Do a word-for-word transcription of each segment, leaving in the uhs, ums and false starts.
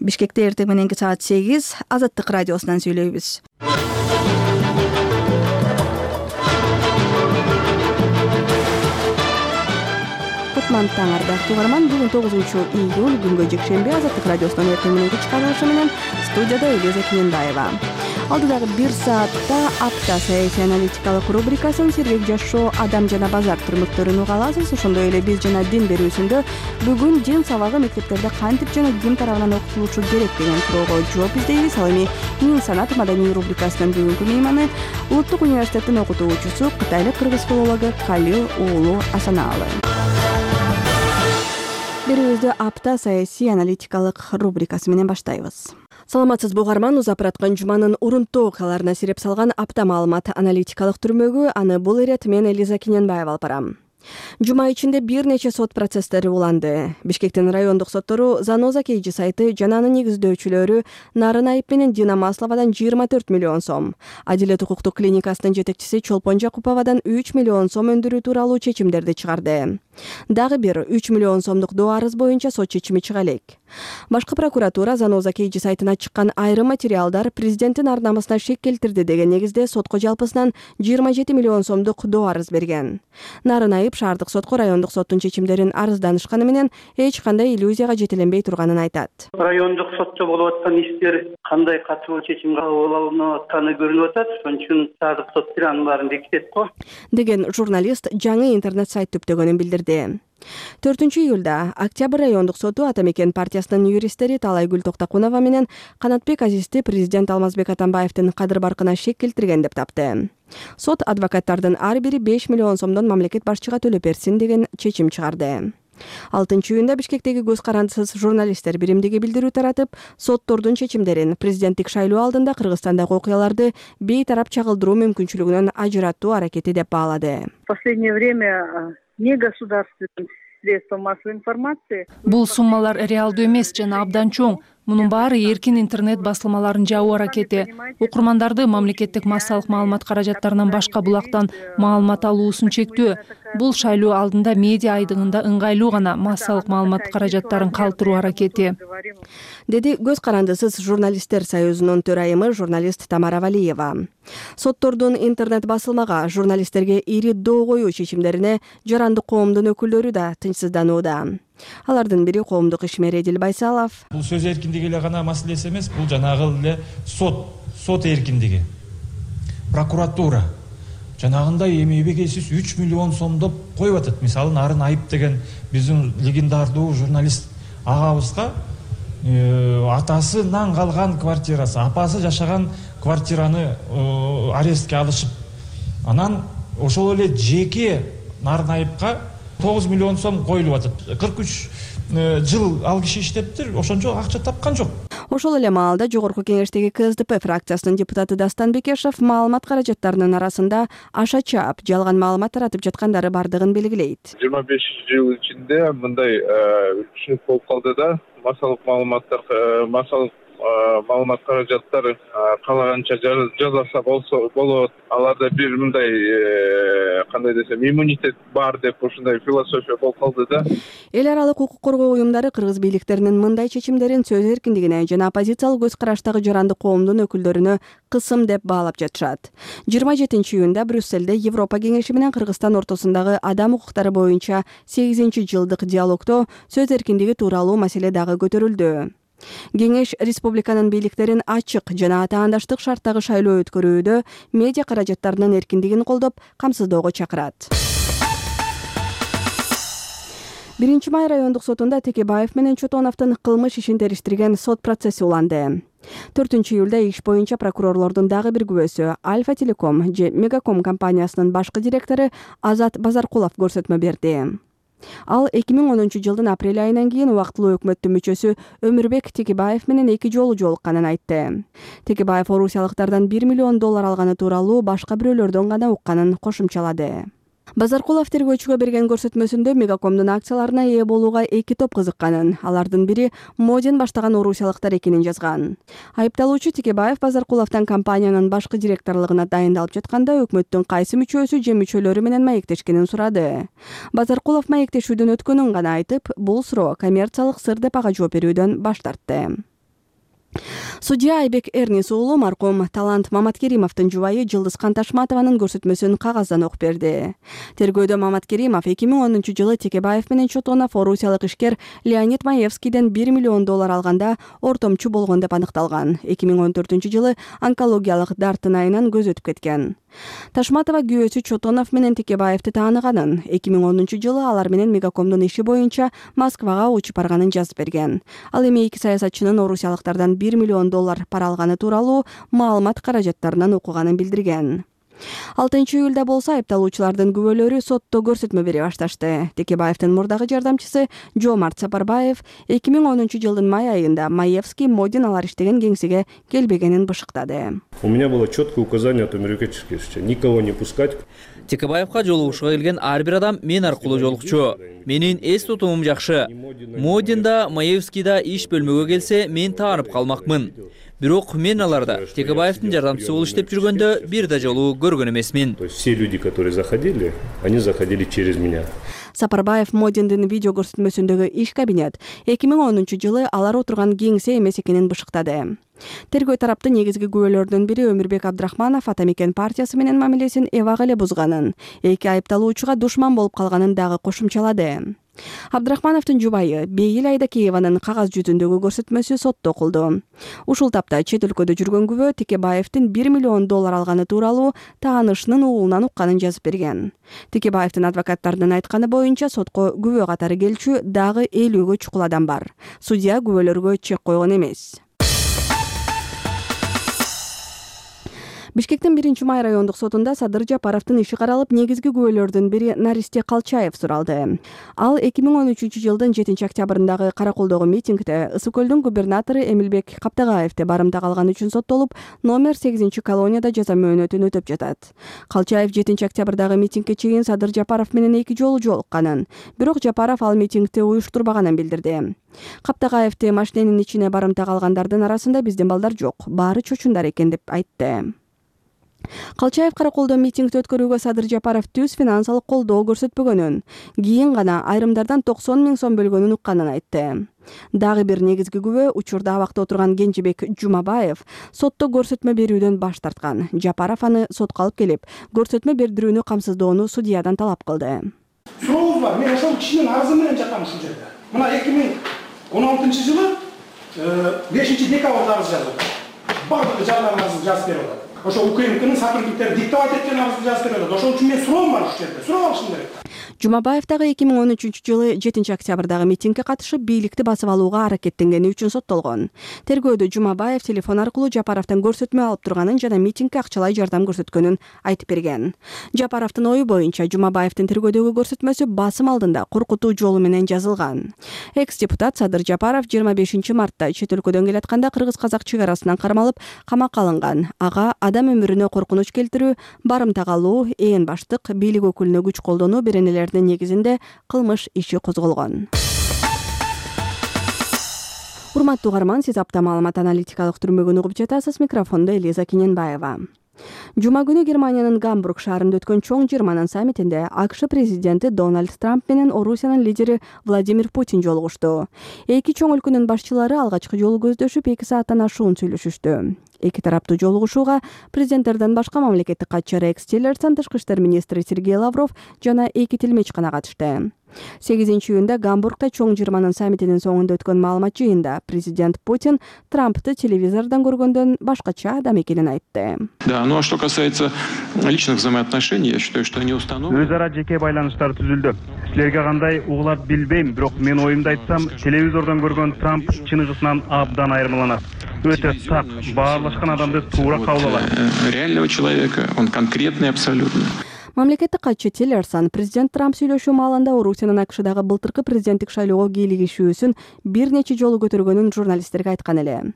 Бишкекте эртең мененки саат сегиз Азаттык радиосунан сүйлөйбүз. Кутман таң ардактуу угарман, бүгүн тогузунчу июль күнгө жекшемби. Азаттык радиосунун эртең мененки чыгарылышы менен студияда Элиза Кененбаева. Алдыдагы бир саатта апта саясий аналитикалык рубрикасын сергек жашоо, адам жана базар турмуктөрүн уга аласыз. Ошондой эле биз жана дин берүүсүндө бүгүн дин сабагы мектептерде кантип жана ким тарабынан окутулушу керек деген суроого жооп издейбиз. Ал эми Мин санат маданий рубрикасынын бүгүнкү мейманы Улуттук университеттин окутуучусу, кытайлык кыргыз филологу Калил уулу Асанаалы. Берүүбүздү апта саясий аналитикалык рубрикасы менен баштайбыз. Саламатсызбы угарман, узап бараткан жуманын урунттуу окуяларына сирип салган апта маалымат аналитикалык түрмөгү. Аны бул ирет мен Элиза Кененбаева алып барам. Жума ичинде бир нече сот процесстери уланды. Бишкектин райондук соттору Заноза Кейжи сайты жана анын негиздөөчүлөрү Нарын Айып менен Дина Масловадан жыйырма төрт миллион сом, Адилет укуктук клиникасынын жетекчиси Чолпон Жакуповадан үч миллион сом өндүрүү тууралуу чечимдерди чыгарды. Дагы бир үч миллион сомдук доо арыз боюнча сот чечими чыга элек. Башкы прокуратура Заноза Кейжи сайтына чыккан айрым материалдар президенттин ар намысына шек келтирди деген негизде сотко жалпысынан жыйырма жети миллион сомдук доо арыз берген. Нарын Айып шаардык сотко райондук соттун чечимдерин арызданышканы менен эч кандай иллюзияга жетеленбей турганын айтат. Райондук сотто болуп аткан иштер кандай катуу чечим кабыл алынып атканы көрүнүп атат. Ошон үчүн шаардык сот анын баарын бекитет го деген журналист жаңы интернет сайт түптөгөнүн билдирди. төртүнчү июлда Октябрь райондук соту Атамекен партиясынын юристтери Талайгүл Токтокунова менен Канатбек Азизди президент Алмазбек Атамбаевдин кадыр баркына шек келтирген деп тапты. Сот адвокаттардын ар бири беш миллион сомдон мамлекет башчыга төлөп берсин деген чечим чыгарды. алтынчы июнда Бишкектеги көз карандысыз журналисттер биримдиги билдирүү таратып, соттордун чечимдерин президенттик шайлоо алдында Кыргызстандагы окуяларды бейтарап чагылдыруу мүмкүнчүлүгүнөн ажыраттуу аракети деп баалады. В последнее время не государственные средства массовой информации. Бул суммалар реалдуу эмес жана абдан чоң. Мунун баары эркин интернет басылмаларын жабуу аракети. Окурмандарды мамлекеттик массалык маалымат каражаттарынан башка булактан маалымат алуусун чектөө. Бул шайлоо алдында медиа айдыгында ыңгайлуу гана массалык маалымат каражаттарын калтыруу аракети, деди Көз карандысыз журналисттер союзунун төрайымы журналист Тамара Валиева. Соттордун интернет басылмага, журналисттерге ири доо коюу чечимдерине жарандык коомдун өкүлдөрү да тынчсызданууда. Алардын бири коомдук ишмер Эдил Байсалов. Бул сөз эркиндиги эле гана маселеси эмес, бул жанагы эле сот, сот эркиндиги. Прокуратура жанагындай эмебегесиз үч миллион сомдоп коюп атат. Мисалы Нарын Айып деген биздин легендардуу журналист агабызга атасынан калган квартирасы, апасы жашаган квартираны арестке алышып, анан ошол эле жеке Нарын Айыпка тогуз миллион сом коюлуп атат. кырк үч жыл ал киши иштептир, ошончо акча тапкан жок. Ошол эле маалда жогорку кеңештеги К С Д П фракциясынын депутаты Дастан Бекешев маалымат каражаттарынын арасында аша чаап, жалган маалымат таратып жаткандары бардыгын белгилейт. жыйырма беш жыл ичинде мындай түшүнүк болуп калды да, массалык маалыматтар, массалык маалымат каражаттары каалаганча жасаса болсо болот. Аларда бир мындай кандай десем иммунитет бар деп ушундай философия болуп калды да. Эл аралык укук коргоо уюмдары кыргыз бийликтеринин мындай чечимдерин сөз эркиндигине жана оппозициялык көз караштагы жарандык коомдун өкүлдөрүнө кысым деп баалап жатышат. жыйырма жетинчи июнда Брюсселде Европа кеңеши менен Кыргызстан ортосундагы адам укуктары боюнча сегизинчи жылдык диалогдо сөз эркиндиги тууралуу маселе дагы көтөрүлдү. Кеңеш республиканын бийликтерин ачык жана атаандаштык шарттагы шайлоо өткөрүүдө медиа каражаттарынын эркиндигин колдоп, камсыздоого чакырат. биринчи май райондук сотунда Текебаев менен Чотоновдун кылмыш ишин териштирген сот процесси уланды. төртүнчү июлда иш боюнча прокурорлордун дагы бир күбөсү Альфа Телеком же Мегаком компаниясынын башкы директору Азат Базаркулов көрсөтмө берди. Ал эки миң онунчу жылдын апрель айынан кийин убактылуу өкмөттүн мүчөсү Өмүрбек Текебаев менен эки жолу жолукканын айтты. Текебаев орусиялыктардан бир миллион доллар алганы тууралуу башка бирөөлөрдөн гана укканын кошумчалады. Базаркулов тергөөчүгө берген көрсөтмөсүндө Мегакомдун акцияларына ээ болууга эки топ кызыкканын, алардын бири Модин баштаган орусиялыктар экенин жазган. Айыпталуучу Текебаев Базаркуловдон компаниянын башкы директорлугуна дайындалып жатканда өкмөттүн кайсы мүчөсү же мүчөлөрү менен маектешкенин сурады. Базаркулов маектешүүдөн өткөнүн гана айтып, бул суроо коммерциялык сыр деп ага жооп берүүдөн баш тартты. Судья Айбек Эрнис уулу маркум Талант Маматкеримовдун жубайы Жылдыз Канташматованын көрсөтмөсүн кагаздан окуп берди. Тергөөдө Маматкеримов эки миң онунчу жылы Текебаев менен Чотонов орусиялык ишкер Леонид Маевскийден бир миллион доллар алганда ортомчу болгон деп аныкталган. эки миң он төртүнчү жылы онкологиялык дартын айынан көз өтүп кеткен. Ташматова күйөөсү Чотонов менен Текебаевди тааныганын, эки миң онунчу жылы алар менен Мегакомдун иши боюнча Москвага учуп барганын жазып берген. Ал эми эки саясатчынын орусиялыктардан бир миллион доллар пара алганы тууралуу маалымат каражаттарынан окуганын билдирген. алтынчы июлда болсо айыпталуучулардын күбөлөрү сотто көрсөтмө бере башташты. Текебаевдин мурдагы жардамчысы Жомарт Сапарбаев эки миң онунчу жылдын май айында Маевский Модин алар иштеген кеңсеге келбегенин бышыктады. У меня было четкое указание от мемлекетчиков никого не пускать. Текебаевка жолугушууга келген ар бир адам мен аркылуу жолукчу. Менин эс тутумум жакшы. Модинда, Маевскийда иш бөлмөгө келсе, мен таанып калмакмын. Бирок мен аларда Текебаевдин жардамчысы болуп иштеп жүргөндө бир да жолу көргөн эмесмин. То есть все люди, которые заходили, они заходили через меня. Сапарбаев Модиндин видео көрсөтмөсүндөгү иш кабинет эки миң онунчу жылы алар отурган кеңсе эмес экенин бышыктады. Тергөө тараптын негизги күбөлөрдүн бири Өмүрбек Абдрахманов Атамекен партиясы менен мамилесин эбак эле бузганын, эки айыпталуучуга душман болуп калганын дагы кошумчалады. Абдрахмановдун жубайы Бейил Айдакееванын кагаз жүзүндөгү көрсөтмөсү сотто окулду. Ушул тапта чет өлкөдө жүргөн күбө Текебаевдин бир миллион доллар алганы тууралуу таанышынын уулунан укканын жазып берген. Текебаевдин адвокаттарынын айтканы боюнча сотко күбө катары келчү дагы элүүгө чукул адам бар. Судья күбөлөргө чек койгон эмес. Бишкектин биринчи май райондук сотунда Садыр Жапаровдун иши каралып, негизги күбөлөрдүн бири Наристе Калчаев суралды. Ал эки миң он үчүнчү жылдын жетинчи октябрындагы Караколдогу митингде Ысык көлдүн губернатору Эмилбек Каптагаевди барымтак алган үчүн соттолуп, номер сегизинчи колонияда жаза мөөнөтүн өтөп жатат. Калчаев жетинчи октябрдагы митингге чейин Садыр Жапаров менен эки жолу жолукканын, бирок Жапаров ал митингди уюштурбаганын билдирди. Каптагаевди машиненин ичине барымтак алгандардын арасында биздин балдар жок, баары чочундар экен деп айтты. Калчаев Караколдо митингди өткөрүүгө Садыр Жапаров түз финансылык колдоо көрсөтпөгөнүн, кийин гана айрымдардан токсон миң сом бөлгөнүн укканын айтты. Дагы бир негизги күбө учурда абакта отурган Кенжебек Жумабаев сотто көрсөтмө берүүдөн баш тарткан. Жапаров аны сотко алып келип, көрсөтмө бердирүүнү камсыздоону судьядан талап кылды. Сурооңуз бар, мен ошол кишинин арызы менен жатам ушул жерде. Мына эки миң он алтынчы жылы бешинчи декабрда арыз жазып атат. Бардыгы жардам арызын жазып берип атат. Ошо УКМКнын сотрудниктери диктовать эткен арызды жазып берип атат. Ошол үчүн мен суроом бар ушул жерде. Суроо алышым керек. Жумабаев дагы эки миң он үчүнчү жылы жетинчи октябрдагы митингге катышып, бийликти басып алууга аракеттенгени үчүн соттолгон. Тергөөдө Жумабаев телефон аркылуу Жапаровдон көрсөтмө алып турганын жана митингге акчалай жардам көрсөткөнүн айтып берген. Жапаровдун ою боюнча Жумабаевдин тергөөдөгү көрсөтмөсү басым алдында коркутуу жолу менен жазылган. Экс-депутат Садыр Жапаров жыйырма бешинчи мартта чет өлкөдөн келатканда кыргыз-казак чек арасынан кармалып, камакка алынган. Ага адам өмүрүнө коркунуч келтирүү, барымтак алуу, ээн баштык, бийлик өкүлүнө күч колдонуу беренелердин негизинде кылмыш иши козголгон. Урматтуу угарман, сиз апта маалымат аналитикалык түрмөгүн угуп жатасыз. Микрофондо Элиза Кененбаева. Жума күнү Германиянын Гамбург шаарында өткөн чоң жыйырманын саммитинде АКШ президенти Дональд Трамп менен Орусиянын лидери Владимир Путин жолугушту. Эки чоң өлкөнүн башчылары алгачкы жолу көздөшүп, эки сааттан ашуун сүйлөшүштү. Эки тараптуу жолугушууга президенттерден башка мамлекеттик катчы Рекс Тиллерсон, тышкы иштер министри Сергей Лавров жана эки тилмеч гана катышты. сегизинчи июнда Гамбургда чоң жыйырманын саммитинин соңунда өткөн маалымат жыйында президент Путин Трампты телевизордон көргөндөн башкача адам экенин айтты. Да, ну а что касается личных взаимоотношений, я считаю, что они установлены. Өз ара жеке байланыштар түзүлдү. Силерге кандай угулат билбейм, бирок мен оюмду айтсам, телевизордон көргөн Трамп чыныгысынан абдан айырмаланат. Өтө так, баарлашкан адамды туура кабыл алат. Реального человека, он конкретный абсолютно. Мамлекеттик катчы Тиллерсон президент Трамп сүйлөшүү маалында Орусиянын АКШдагы былтыркы президенттик шайлоого кийлигишүүсүн бир нече жолу көтөргөнүн журналисттерге айткан эле.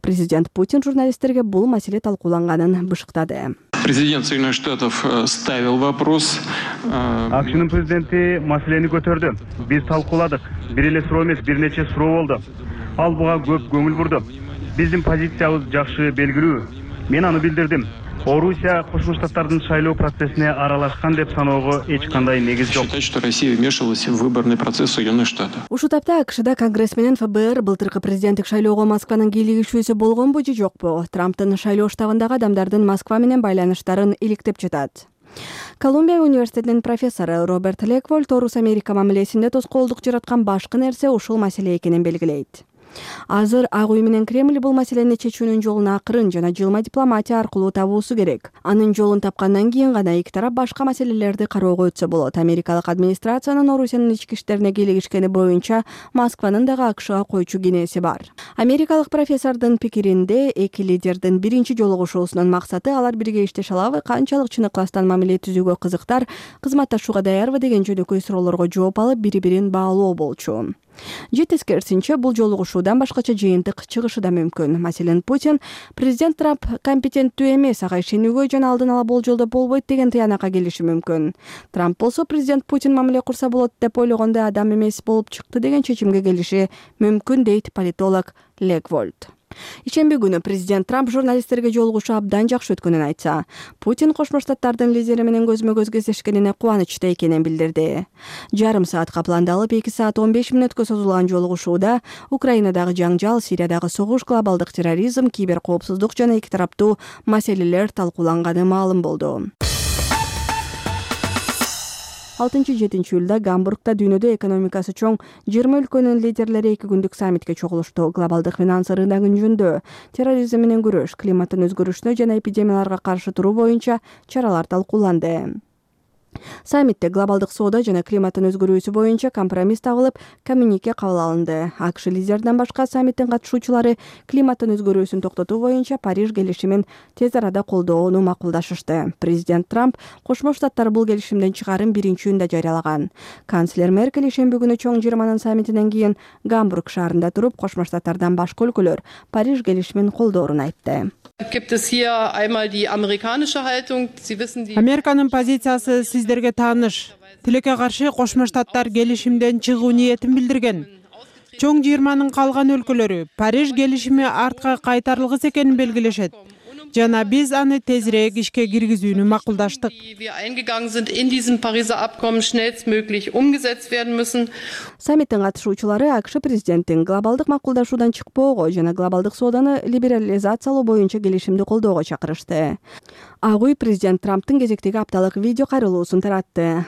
Президент Путин журналисттерге бул маселе талкууланганын бышыктады. Президент Соединенных Штатов ставил вопрос. АКШнын президенти маселени көтөрдү. Биз талкууладык. Бир эле суроо эмес, бир нече суроо болду. Ал буга көп көңүл бурду. Биздин позициябыз жакшы белгилүү. Мен аны билдирдим. Орусия Кошмо Штаттардын шайлоо процессине аралашкан деп саноого эч кандай негиз жок. Считать, что Россия вмешивалась в выборный процесс Соединенных Штатов. Ушул тапта АКШда Конгресс менен ФБР былтыркы президенттик шайлоого Москванын кийлигишүүсү болгонбу же жокпу? Трамптын шайлоо штабындагы адамдардын Москва менен байланыштарын иликтеп жатат. Колумбия университетинин профессору Роберт Леквольд Орус Америка мамилесинде тоскоолдук жараткан башкы нерсе ушул маселе экенин белгилейт. Азыр Ак Үй менен Кремль бул маселени чечүүнүн жолун акырын жана жылма дипломатия аркылуу табуусу керек. Анын жолун тапкандан кийин гана эки тарап башка маселелерди кароого өтсө болот. Америкалык администрациянын Орусиянын ички иштерине кийлигишкени боюнча Москванын дагы АКШга койчу кенеси бар. Америкалык профессордун пикиринде эки лидердин биринчи жолугушуусунун максаты алар бирге иштеше алабы, канчалык чын ыкластан мамиле түзүүгө кызыктар, кызматташууга даярбы деген жөнөкөй суроолорго жооп алып бири-бирин баалоо болчу. Же тескерисинче бул жолугушуудан башкача жыйынтык чыгышы да мүмкүн. Маселен, Путин президент Трамп компетенттүү эмес, ага ишенүүгө жана алдын ала болжолдоп болбойт деген тыянакка келиши мүмкүн. Трамп болсо президент Путин мамиле курса болот деп ойлогондо адам эмес болуп чыкты деген чечимге келиши мүмкүн, дейт политолог Леквольд. Ишемби күнү президент Трамп журналисттерге жолугушуу абдан жакшы өткөнүн айтса, Путин Кошмо Штаттардын лидери менен көзмө-көз кездешкенине кубанычта экенин билдирди. Жарым саатка пландалып эки саат он беш мүнөткө созулган жолугушууда Украинадагы жаңжал, Сириядагы согуш, глобалдык терроризм, киберкоопсуздук жана эки тараптуу маселелер талкууланганы маалым болду. алтынчы-жетинчи июлда Гамбургда дүйнөдө экономикасы чоң жыйырма өлкөнүн лидерлери эки күндүк саммитке чогулушту. Глобалдык финанс рыногу жөнүндө, терроризм менен күрөш, климаттын өзгөрүшүнө жана эпидемияларга каршы туруу боюнча чаралар талкууланды. Саммитте глобалдык соода жана климаттын өзгөрүүсү боюнча компромисс табылып, коммюнике кабыл алынды. АКШ лидерден башка саммиттин катышуучулары климаттын өзгөрүүсүн токтотуу боюнча Париж келишимин тез арада колдоону макулдашышты. Президент Трамп Кошмо Штаттар бул келишимден чыгарын биринчи июнда жарыялаган. Канцлер Меркель ишемби күнү чоң жыйырманын саммитинен кийин Гамбург шаарында туруп, Кошмо Штаттардан башка өлкөлөр Париж келишимин колдоорун айтты. Американын позициясы сиздерге тааныш. Тилекке каршы Кошмо Штаттар келишимден чыгуу ниетин билдирген. Чоң жыйырманын калган өлкөлөрү Париж келишими артка кайтарылгыс экенин белгилешет. Жана биз аны тезирээк ишке киргизүүнү макулдаштык. Саммиттин катышуучулары АКШ президенттин глобалдык макулдашуудан чыкпоого жана глобалдык сооданы либерализациялоо боюнча келишимди колдоого чакырышты. Ак Үй президент Трамптын кезектеги апталык видео кайрылуусун таратты.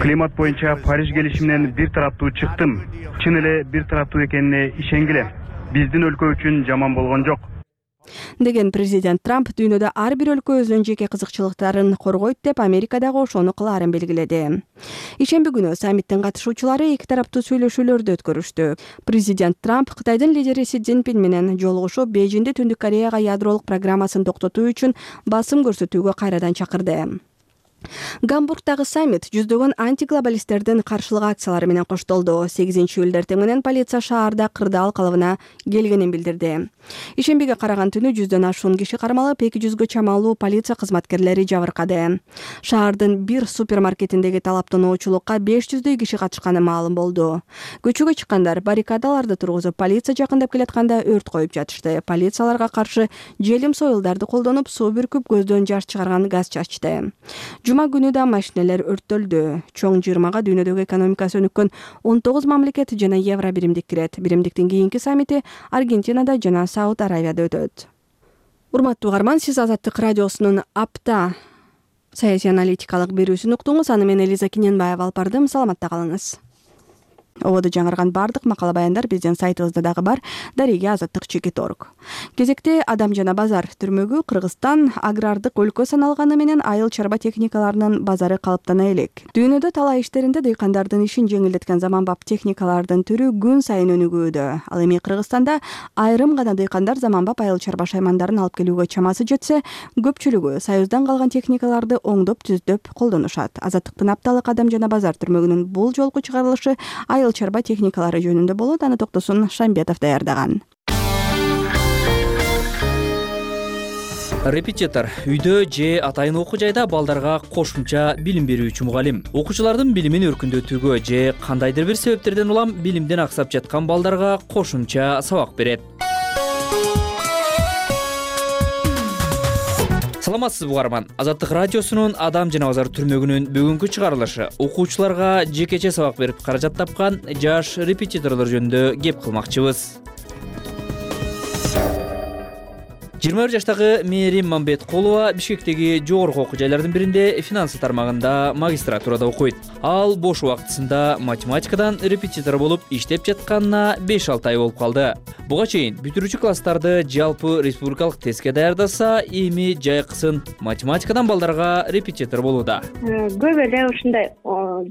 Климат боюнча Париж келишиминен бир тараптуу чыктым. Чын эле бир тараптуу экенине ишенгиле. Биздин өлкө үчүн жаман болгон жок. Деген президент Трамп дүйнөдө ар бир өлкө өзүнүн жеке кызыкчылыктарын коргойт деп Америкадагы ошону кылаарын белгиледи. Ишемби күнү саммиттин катышуучулары эки тараптуу сүйлөшүүлөрдү өткөрүштү. Президент Трамп Кытайдын лидери Си Цзиньпин менен жолугушуп, Бейжиңде Түндүк Кореяга ядролук программасын токтотуу үчүн басым көрсөтүүгө кайрадан чакырды. Гамбургдагы саммит жүздөгөн антиглобалисттердин каршылык акциялары менен коштолду. сегизинчи июлда эртең менен полиция шаарда кырдаал калыбына келгенин билдирди. Ишембиге караган түнү жүздөн ашуун киши кармалып, эки жүзгө чамалуу полиция кызматкерлери жабыркады. Шаардын бир супермаркетиндеги талаптануучулукка беш жүздөй киши катышканы маалым болду. Көчөгө чыккандар баррикадаларды тургузуп, полиция жакындап келатканда өрт коюп жатышты. Полицияларга каршы желим союлдарды колдонуп, суу бүркүп, көздөн жаш чыгарган газ чачты. Жума күнү да машинелер өрттөлдү. Чоң жыйырмага дүйнөдөгү экономикасы өнүккөн он тогуз мамлекет жана евро биримдик кирет. Биримдиктин кийинки саммити Аргентинада жана Сауд Аравияда өтөт. Урматтуу угарман, сиз Азаттык радиосунун апта саясий аналитикалык берүүсүн уктуңуз. Аны мен Элиза Киненбаева алып бардым. Саламатта калыңыз. Ободо жаңырган бардык макала баяндар биздин сайтыбызда дагы бар. Дареге азаттык чекит точка орг. Кезекте Адам жана базар түрмөгү Кыргызстан агрардык өлкө саналганы менен айыл чарба техникаларынын базары калыптана элек. Дүйнөдө талай иштеринде дыйкандардын ишин жеңилдеткен заманбап техникалардын түрү күн сайын өнүгүүдө. Ал эми Кыргызстанда айрым гана дыйкандар заманбап айыл чарба шаймандарын алып келүүгө чамасы жетсе, көпчүлүгү союздан калган техникаларды оңдоп түздөп колдонушат. Азаттыктын апталык Адам жана базар түрмөгүнүн бул жолку чыгарылышы айыл чарба техникалары жөнүндө болот. Аны Токтосун Шамбетов даярдаган. Репетитор үйдө же атайын окуу жайда балдарга кошумча билим берүүчү мугалим. Окуучулардын билимин өркүндөтүүгө же кандайдыр бир себептерден улам билимден аксап жаткан балдарга кошумча сабак берет. Саламатсызбы угарман. Азаттык радиосунун Адам жана Базар түрмөгүнүн бүгүнкү чыгарылышы окуучуларга жекече сабак берип каражат тапкан жаш репетиторлор жөнүндө кеп кылмакчыбыз. жыйырма бир жаштагы Мээрим Мамбеткулова Бишкектеги жогорку окуу жайлардын биринде финансы тармагында магистратурада окуйт. Ал бош убактысында математикадан репетитор болуп иштеп жатканына беш алты ай болуп калды. Буга чейин бүтүрүүчү класстарды жалпы республикалык тестке даярдаса, эми жайкысын математикадан балдарга репетитор болууда. Көп эле ушундай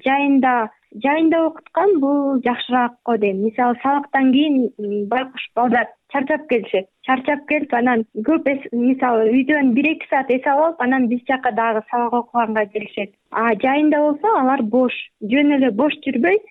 жайында жайында окуткан бул жакшыраак го дейм. Мисалы сабактан кийин байкуш балдар чарчап келишет. Чарчап келип анан көп мисалы үйдөн бир эки саат эс алып, анан биз жака дагы сабак окуганга келишет. А жайында болсо алар бош, жөн эле бош жүрбөй,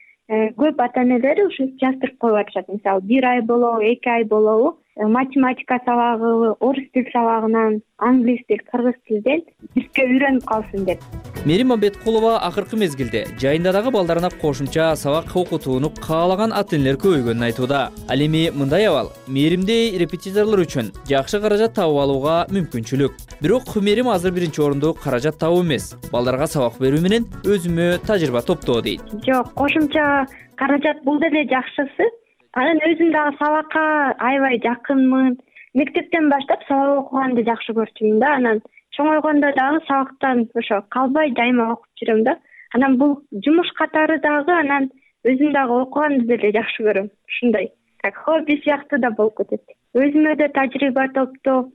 көп ата энелери ушу жаздырып коюп атышат. Мисалы бир ай болобу, эки ай болобу математика сабагы, орус тил сабагынан, англис тил, кыргыз тилден бизге үйрөнүп калсын деп. Мээрим Мамбеткулова акыркы мезгилде жайында дагы балдарына кошумча сабак окутууну каалаган ата энелер көбөйгөнүн айтууда. Ал эми мындай абал Мээримдей репетиторлор үчүн жакшы каражат табып алууга мүмкүнчүлүк. Бирок Мээрим азыр биринчи орунду каражат табуу эмес, балдарга сабак берүү менен өзүмө тажрыйба топтоо дейт. Жок, кошумча каражат бул деле жакшысы. Анан өзүм дагы сабакка аябай жакынмын. Мектептен баштап сабак окуганды жакшы көрчүмүн да. Анан чоңойгондо дагы сабактан ошо калбай дайыма окуп жүрөм да. Анан бул жумуш катары дагы, анан өзүм дагы окуганды деле жакшы көрөм. Ушундай как хобби сыяктуу да болуп кетет. Өзүмө да тажрыйба топтоо,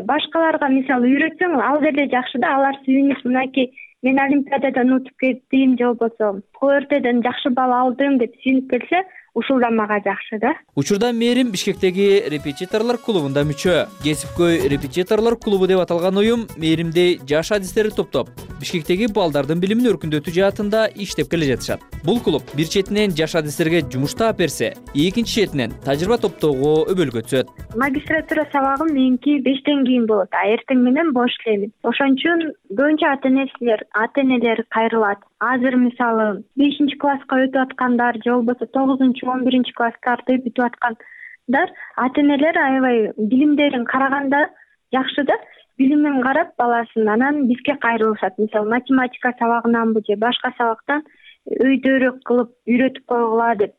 башкаларга мисалы үйрөтсөң, ал деле жакшы да. Алар сүйүнүп, мынакей мен олимпиададан утуп кеттим же болбосо КРТден жакшы балл алдым деп сүйүнүп келсе, ушул да мага жакшы да. Учурда Мээрим Бишкектеги репетиторлор клубунда мүчө. Кесипкөй репетиторлор клубу деп аталган уюм Мээримдей жаш адистерди топтоп, Бишкектеги балдардын билимин өркүндөтүү жаатында иштеп келе жатышат. Бул клуб бир четинен жаш адистерге жумуш таап берсе, экинчи четинен тажрыйба топтоого өбөлгө түзөт. Магистратура сабагым меники бештен кийин болот, а эртең менен бош элемин. Ошон үчүн көбүнчө ата энелер, ата энелер кайрылат. Азыр мисалы бешинчи класска өтүп аткандар же болбосо тогузунчу он биринчи класстарды бүтүп аткандар ата энелер аябай билимдерин караганда жакшы да. Билимин карап баласын анан бизге кайрылышат. Мисалы математика сабагынанбы же башка сабактан өйдөрөөк кылып үйрөтүп койгула деп.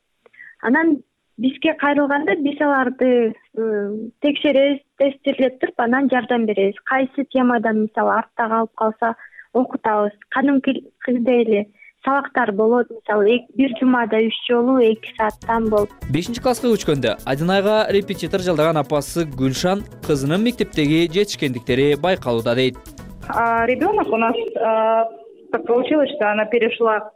Анан бизге кайрылганда биз аларды текшеребиз, тестирлеп туруп, анан жардам беребиз. Кайсы темадан мисалы артта калып калса окутабыз. Кадимкидей эле сабактар болот, мисалы бир жумада үч жолу эки сааттан болуп. бешинчи класска көчкөндө Адинайга репетитор жалдаган апасы Гүлшан кызынын мектептеги жетишкендиктери байкалууда дейт. Ребенок у нас так получилось, что она перешла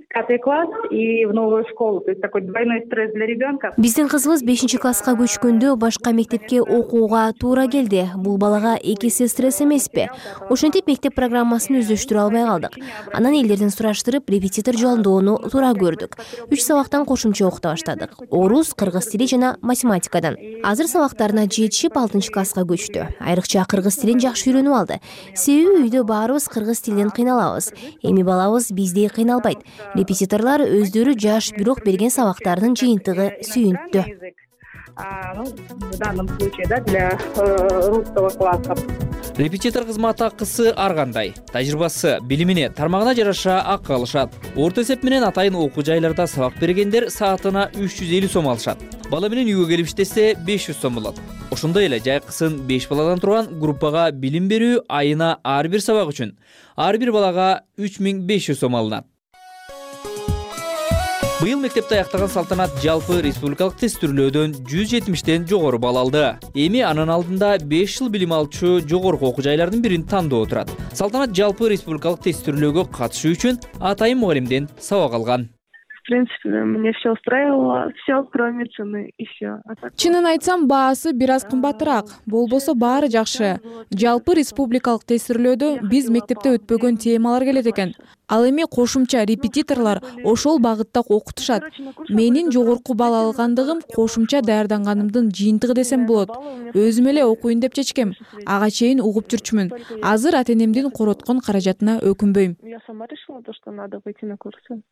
пятый класс и в новую школу, то есть такой двойной стресс для ребенка. Биздин кызыбыз бешинчи класска көчкөндө башка мектепке окууга туура келди. Бул балага эки эсе стресс эмеспи? Ошентип мектеп программасын өздөштүрө албай калдык. Анан элдерден сураштырып, репетитор жолдоону туура көрдүк. үч сабактан кошумча окута баштадык. Орус, кыргыз тили жана математикадан. Азыр сабактарына жетишип алтынчы класска көчтү. Айрыкча кыргыз тилин жакшы үйрөнүп алды. Себеби үйдө баарыбыз кыргыз тилинен кыйналабыз. Эми балабыз биздей кыйналбайт. Репетиторлор өздөрү жаш, бирок берген сабактардын жыйынтыгы сүйүнүктүү. В данном случае, да, для русского класса. Репетитор кызмат акысы ар кандай. Тажрыйбасы, билимине, тармагына жараша акы алышат. Орто эсеп менен атайын окуу жайларда сабак бергендер саатына үч жүз элүү сом алышат. Бала менен үйгө келип иштесе беш жүз сом болот. Ошондой эле жайкысын беш баладан турган группага билим берүү айына ар бир сабак үчүн ар бир балага үч миң беш жүз сом алынат. Быйыл мектепте аяктаган Салтанат жалпы республикалык тест түрлөөдөн жүз жетимиштен жогору балл алды. Эми анын алдында беш жыл билим алчу жогорку окуу жайлардын бирин тандоо турат. Салтанат жалпы республикалык тест түрлөөгө катышуу үчүн атайын мугалимден сабак алган. В принципе, мне все устраивало, все, кроме цены, и все. Чынын айтсам, баасы бир аз кымбатыраак. Болбосо баары жакшы. Жалпы республикалык тестирлөөдө биз мектепте өтпөгөн темалар келет экен. Ал эми кошумча репетиторлор ошол багытта окутушат. Менин жогорку балл алгандыгым кошумча даярданганымдын жыйынтыгы десем болот. Өзүм эле окуйн деп чечкем. Ага чейин угуп жүрчүмүн. Азыр ата-энемдин короткон каражатына өкүнбөйм. Я сама решила, что надо выйти на курсы.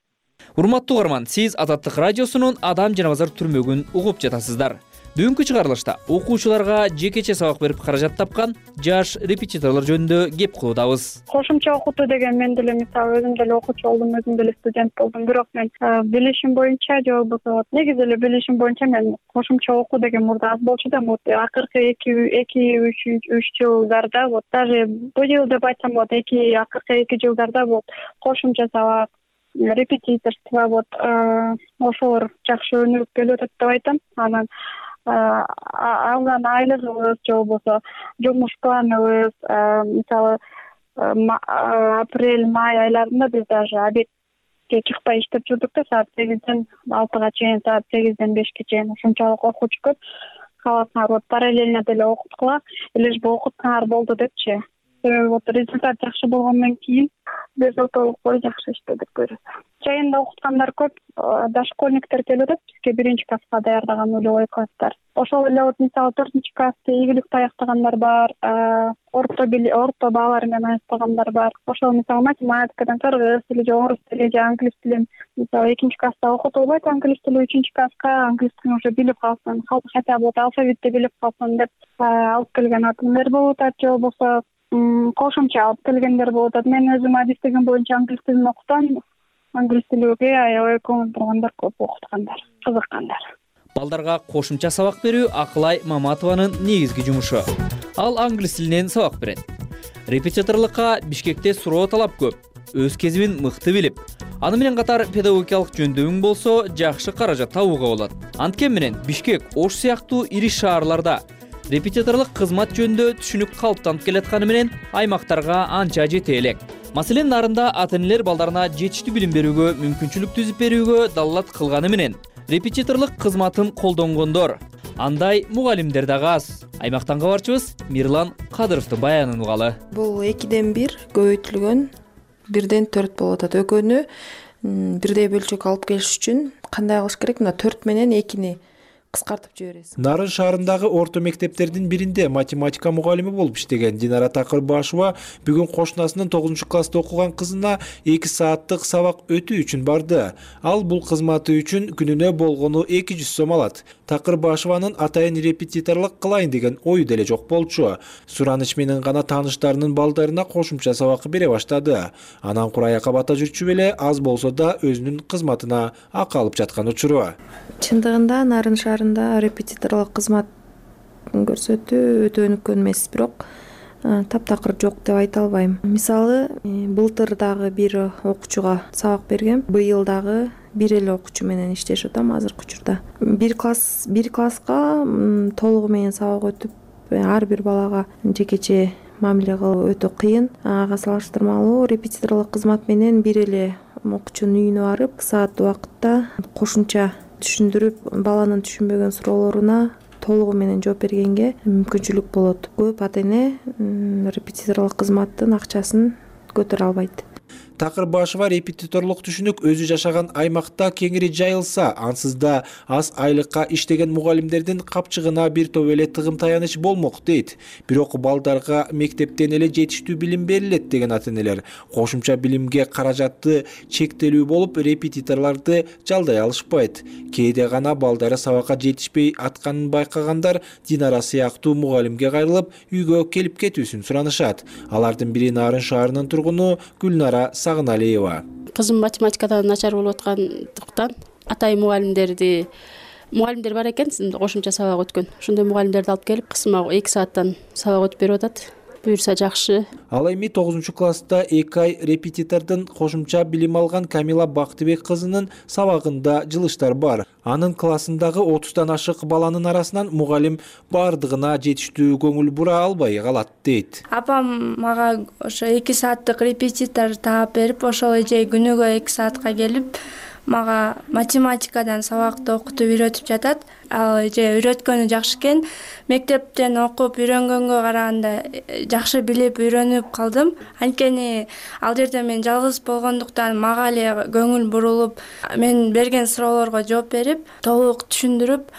Урматтуу угарман, сиз Азаттык радиосунун Адам жана базар түрмөгүн угуп жатасыздар. Бүгүнкү чыгарылышта окуучуларга жекече сабак берип каражат тапкан жаш репетиторлор жөнүндө кеп кылуудабыз. Кошумча окутуу деген мен деле мисалы өзүм деле окуучу болдум, өзүм деле студент болдум. Бирок мен билишим боюнча же болбосо негизи эле билишим боюнча мен кошумча окуу деген мурда аз болчу да, вот акыркы эки эки үч жылдарда, вот даже бул жыл деп айтсам болот, эки акыркы эки жылдарда вот кошумча сабак, репетиторство вот ошолор жакшы өнүгүп келип атат деп айтам. Анан алган айлыгыбыз же болбосо жумуш планыбыз мисалы апрель май айларында биз даже обедке чыкпай иштеп жүрдүк да, саат сегизден алтыга чейин, саат сегизден бешке чейин. Ушунчалык окуучу көп. Каласыңар вот параллельно деле окуткула, лишь бы окутсаңар болду депчи. Вот результат жакшы болгондон кийин безотолук бой жакшы иштедик көрөт. Жайында окуткандар көп, дошкольниктер келип атат бизге, биринчи класска даярдаган нулевой класстар. Ошол эле вот мисалы төртүнчү классты ийгиликте аяктагандар бар, орто орто баалар менен аяктагандар бар. Ошол мисалы математикадан, кыргыз тили же орус тили же англис тилин мисалы экинчи класста окутулбайт, англис тили үчүнчү класска англис тилин уже билип калсын, хотя бы алфавитти билип калсын деп алып келген атымдар болуп атат, же болбосо кошумча алып келгендер болуп атат. Мен өзүм адистигим боюнча англис тилин окутам. Англис тилиге аябай көңүл бургандар көп, окуткандар, кызыккандар. Балдарга кошумча сабак берүү Акылай Маматованын негизги жумушу. Ал англис тилинен сабак берет. Репетиторлукка Бишкекте суроо талап көп. Өз кезибин мыкты билип, аны менен катар педагогикалык жөндөмүң болсо жакшы каражат табууга болот. Анткени менен Бишкек, Ош сыяктуу ири шаарларда репетиторлук кызмат жөнүндө түшүнүк калыптанып келатканы менен аймактарга анча жете элек. Маселен, нарында ата-энелер балдарына жетиштүү билим берүүгө мүмкүнчүлүк түзүп берүүгө далалат кылганы менен репетиторлук кызматын колдонгондор, андай мугалимдер дагы аз. Аймактан кабарчыбыз Мирлан Кадыровдун баянын угалы. Бул экиден бир көбөйтүлгөн, бирден төрт болуп атат. Экөөнү бирдей бөлчөк алып келиш үчүн кандай кылыш керек? Мына төрт менен экини кыскартып жибересиз. Нарын шаарындагы орто мектептердин биринде математика мугалими болуп иштеген Динара Такырбашева бүгүн кошунасынын тогузунчу класста окуган кызына эки сааттык сабак өтүү үчүн барды. Ал бул кызматы үчүн күнүнө болгону эки жүз сом алат. Такырбашеванын атайын репетиторлук кылайын деген ою деле жок болчу. Сураныч менен гана тааныштарынын балдарына кошумча сабак бере баштады. Анан кураяка бата жүрчү эле аз болсо да өзүнүн кызматына акы алып жаткан учуру. Чындыгында Нарын шаарында репетиторлук кызмат көрсөтүү өтө өнүккөн эмес, бирок таптакыр жок деп айта албайм. Мисалы, былтыр дагы бир окуучуга сабак бергем. Быйыл дагы бир эле окуучу менен иштешип атам азыркы учурда. Бир класс, бир класска толугу менен сабак өтүп, ар бир балага жекече мамиле кылуу өтө кыйын. Ага салыштырмалуу репетиторлук кызмат менен бир эле окуучунун үйүнө барып, саат убакытта кошумча түшүндүрүп, баланын түшүнбөгөн суроолоруна толугу менен жооп бергенге мүмкүнчүлүк болот. Көп ата-эне репетиторлук кызматтын акчасын көтөрө албайт. Такырбашева репетиторлук түшүнүк өзү жашаган аймакта кеңири жайылса, ансыз да аз айлыкка иштеген мугалимдердин капчыгына бир топ эле тыгым таяныч болмок дейт. Бирок балдарга мектептен эле жетиштүү билим берилет деген ата-энелер кошумча билимге каражаты чектелүү болуп, репетиторлорду жалдай алышпайт. Кээде гана балдары сабакка жетишпей атканын байкагандар Динара сыяктуу мугалимге кайрылып, үйгө келип кетүүсүн суранышат. Алардын бири Нарын шаарынын тургуну Гүлнара Сагыналиева. Кызым математикадан начар болуп аткандыктан атай мугалимдерди мугалимдер бар экен, кошумча сабак өткөн. Ошондой мугалимдерди алып келип, кызыма эки сааттан сабак өтүп берип атат. Буюрса жакшы. Ал эми тогузунчу класста эки ай репетитордун кошумча билим алган Камила Бактыбек кызынын сабагында жылыштар бар. Анын классындагы отуздан ашык баланын арасынан мугалим бардыгына жетиштүү көңүл бура албай калат дейт. Апам мага ошо эки сааттык репетитор таап берип, ошол эже күнүгө эки саатка келип, мага математикадан сабакты окутуп үйрөтүп жатат. Ал же үйрөткөнү жакшы экен. Мектептен окуп үйрөнгөнгө караганда жакшы билип үйрөнүп калдым. Анткени ал жерде мен жалгыз болгондуктан мага эле көңүл бурулуп, мен берген суроолорго жооп берип, толук түшүндүрүп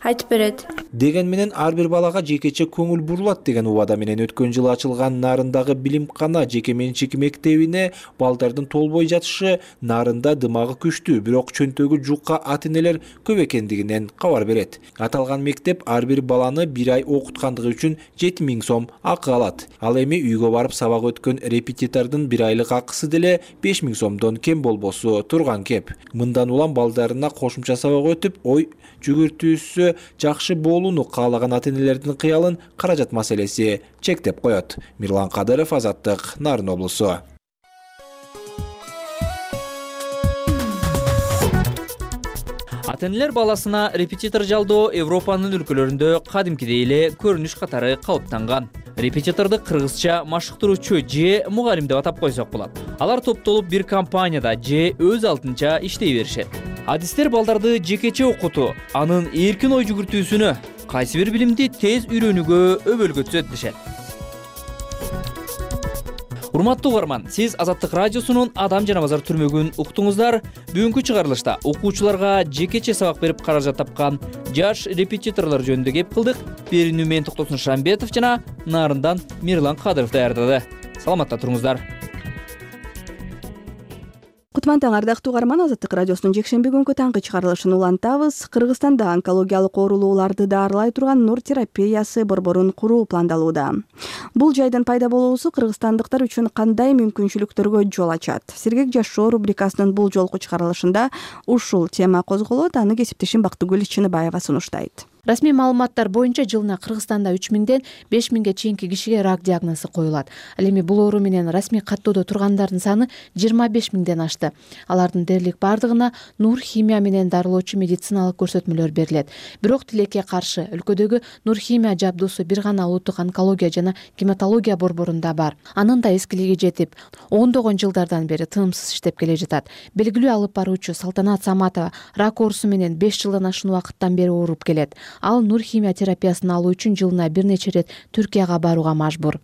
айтып берет. Деген менен ар бир балага жекече көңүл бурулат деген убада менен өткөн жылы ачылган Нарындагы билимкана жеке менчик мектебине балдардын толбой жатышы Нарында дымагы күчтүү, бирок чөнтөгү жука ата-энелер көп экендигинен кабар берет. Аталган мектеп ар бир баланы бир ай окуткандыгы үчүн жети миң сом акы алат. Ал эми үйгө барып сабак өткөн репетитордун бир айлык акысы деле беш миң сомдон кем болбосу турган кеп. Мындан улам балдарына кошумча сабак өтүп, ой жүгүртүүсү жакшы болууну каалаган ата-энелердин кыялын каражат маселеси чектеп коет. Мирлан Кадыров, Азаттык, Нарын облусу. Ата-энелер баласына репетитор жалдоо Европанын өлкөлөрүндө кадимкидей эле көрүнүш катары калыптанган. Репетиторду кыргызча машыктыруучу же мугалим деп атап койсок болот. Алар топтолуп бир компанияда же өз алдынча иштей беришет. Адистер балдарды жекече окутуу, анын эркин ой жүгүртүүсүнө, кайсы бир билимди тез үйрөнүүгө өбөлгөтүшөт дешет. Урматтуу угарман, сиз Азаттык радиосунун Адам жана базар түрмөгүн уктуңуздар. Бүгүнкү чыгарылышта окуучуларга жекече сабак берип каражат тапкан жаш репетиторлор жөнүндө кеп кылдык. Берүүнү мен Токтосун Шамбетов жана Нарындан Мирлан Кадыров даярдады. Саламатта туруңуздар. Кутман таң ардактуу угарман, Азаттык радиосунун жекшемби күнкү таңкы чыгарылышын улантабыз. Кыргызстанда онкологиялык оорулууларды дарылай турган нур терапиясы борборун куруу пландалууда. Бул жайдын пайда болуусу кыргызстандыктар үчүн кандай мүмкүнчүлүктөргө жол ачат? Сергек жашоо рубрикасынын бул жолку чыгарылышында ушул тема козголот. Аны кесиптешим Бактыгүл Чыныбаева сунуштайт. Расмий маалыматтар боюнча жылына Кыргызстанда үч миңден беш миңге чейинки кишиге рак диагнозу коюлат. Ал эми бул оору менен расмий каттоодо тургандардын саны жыйырма беш миңден ашты. Алардын дээрлик бардыгына нур химия менен дарылоочу медициналык көрсөтмөлөр берилет. Бирок тилекке каршы өлкөдөгү нур химия жабдуусу бир гана улуттук онкология жана гематология борборунда бар. Анын да эскилиги жетип, ондогон жылдардан бери тынымсыз иштеп келе жатат. Белгилүү алып баруучу Салтанат Саматова рак оорусу менен беш жылдан ашуун убакыттан бери ооруп келет. Ал нур химия терапиясын алуу үчүн жылына бир нече рет Түркияга барууга мажбур.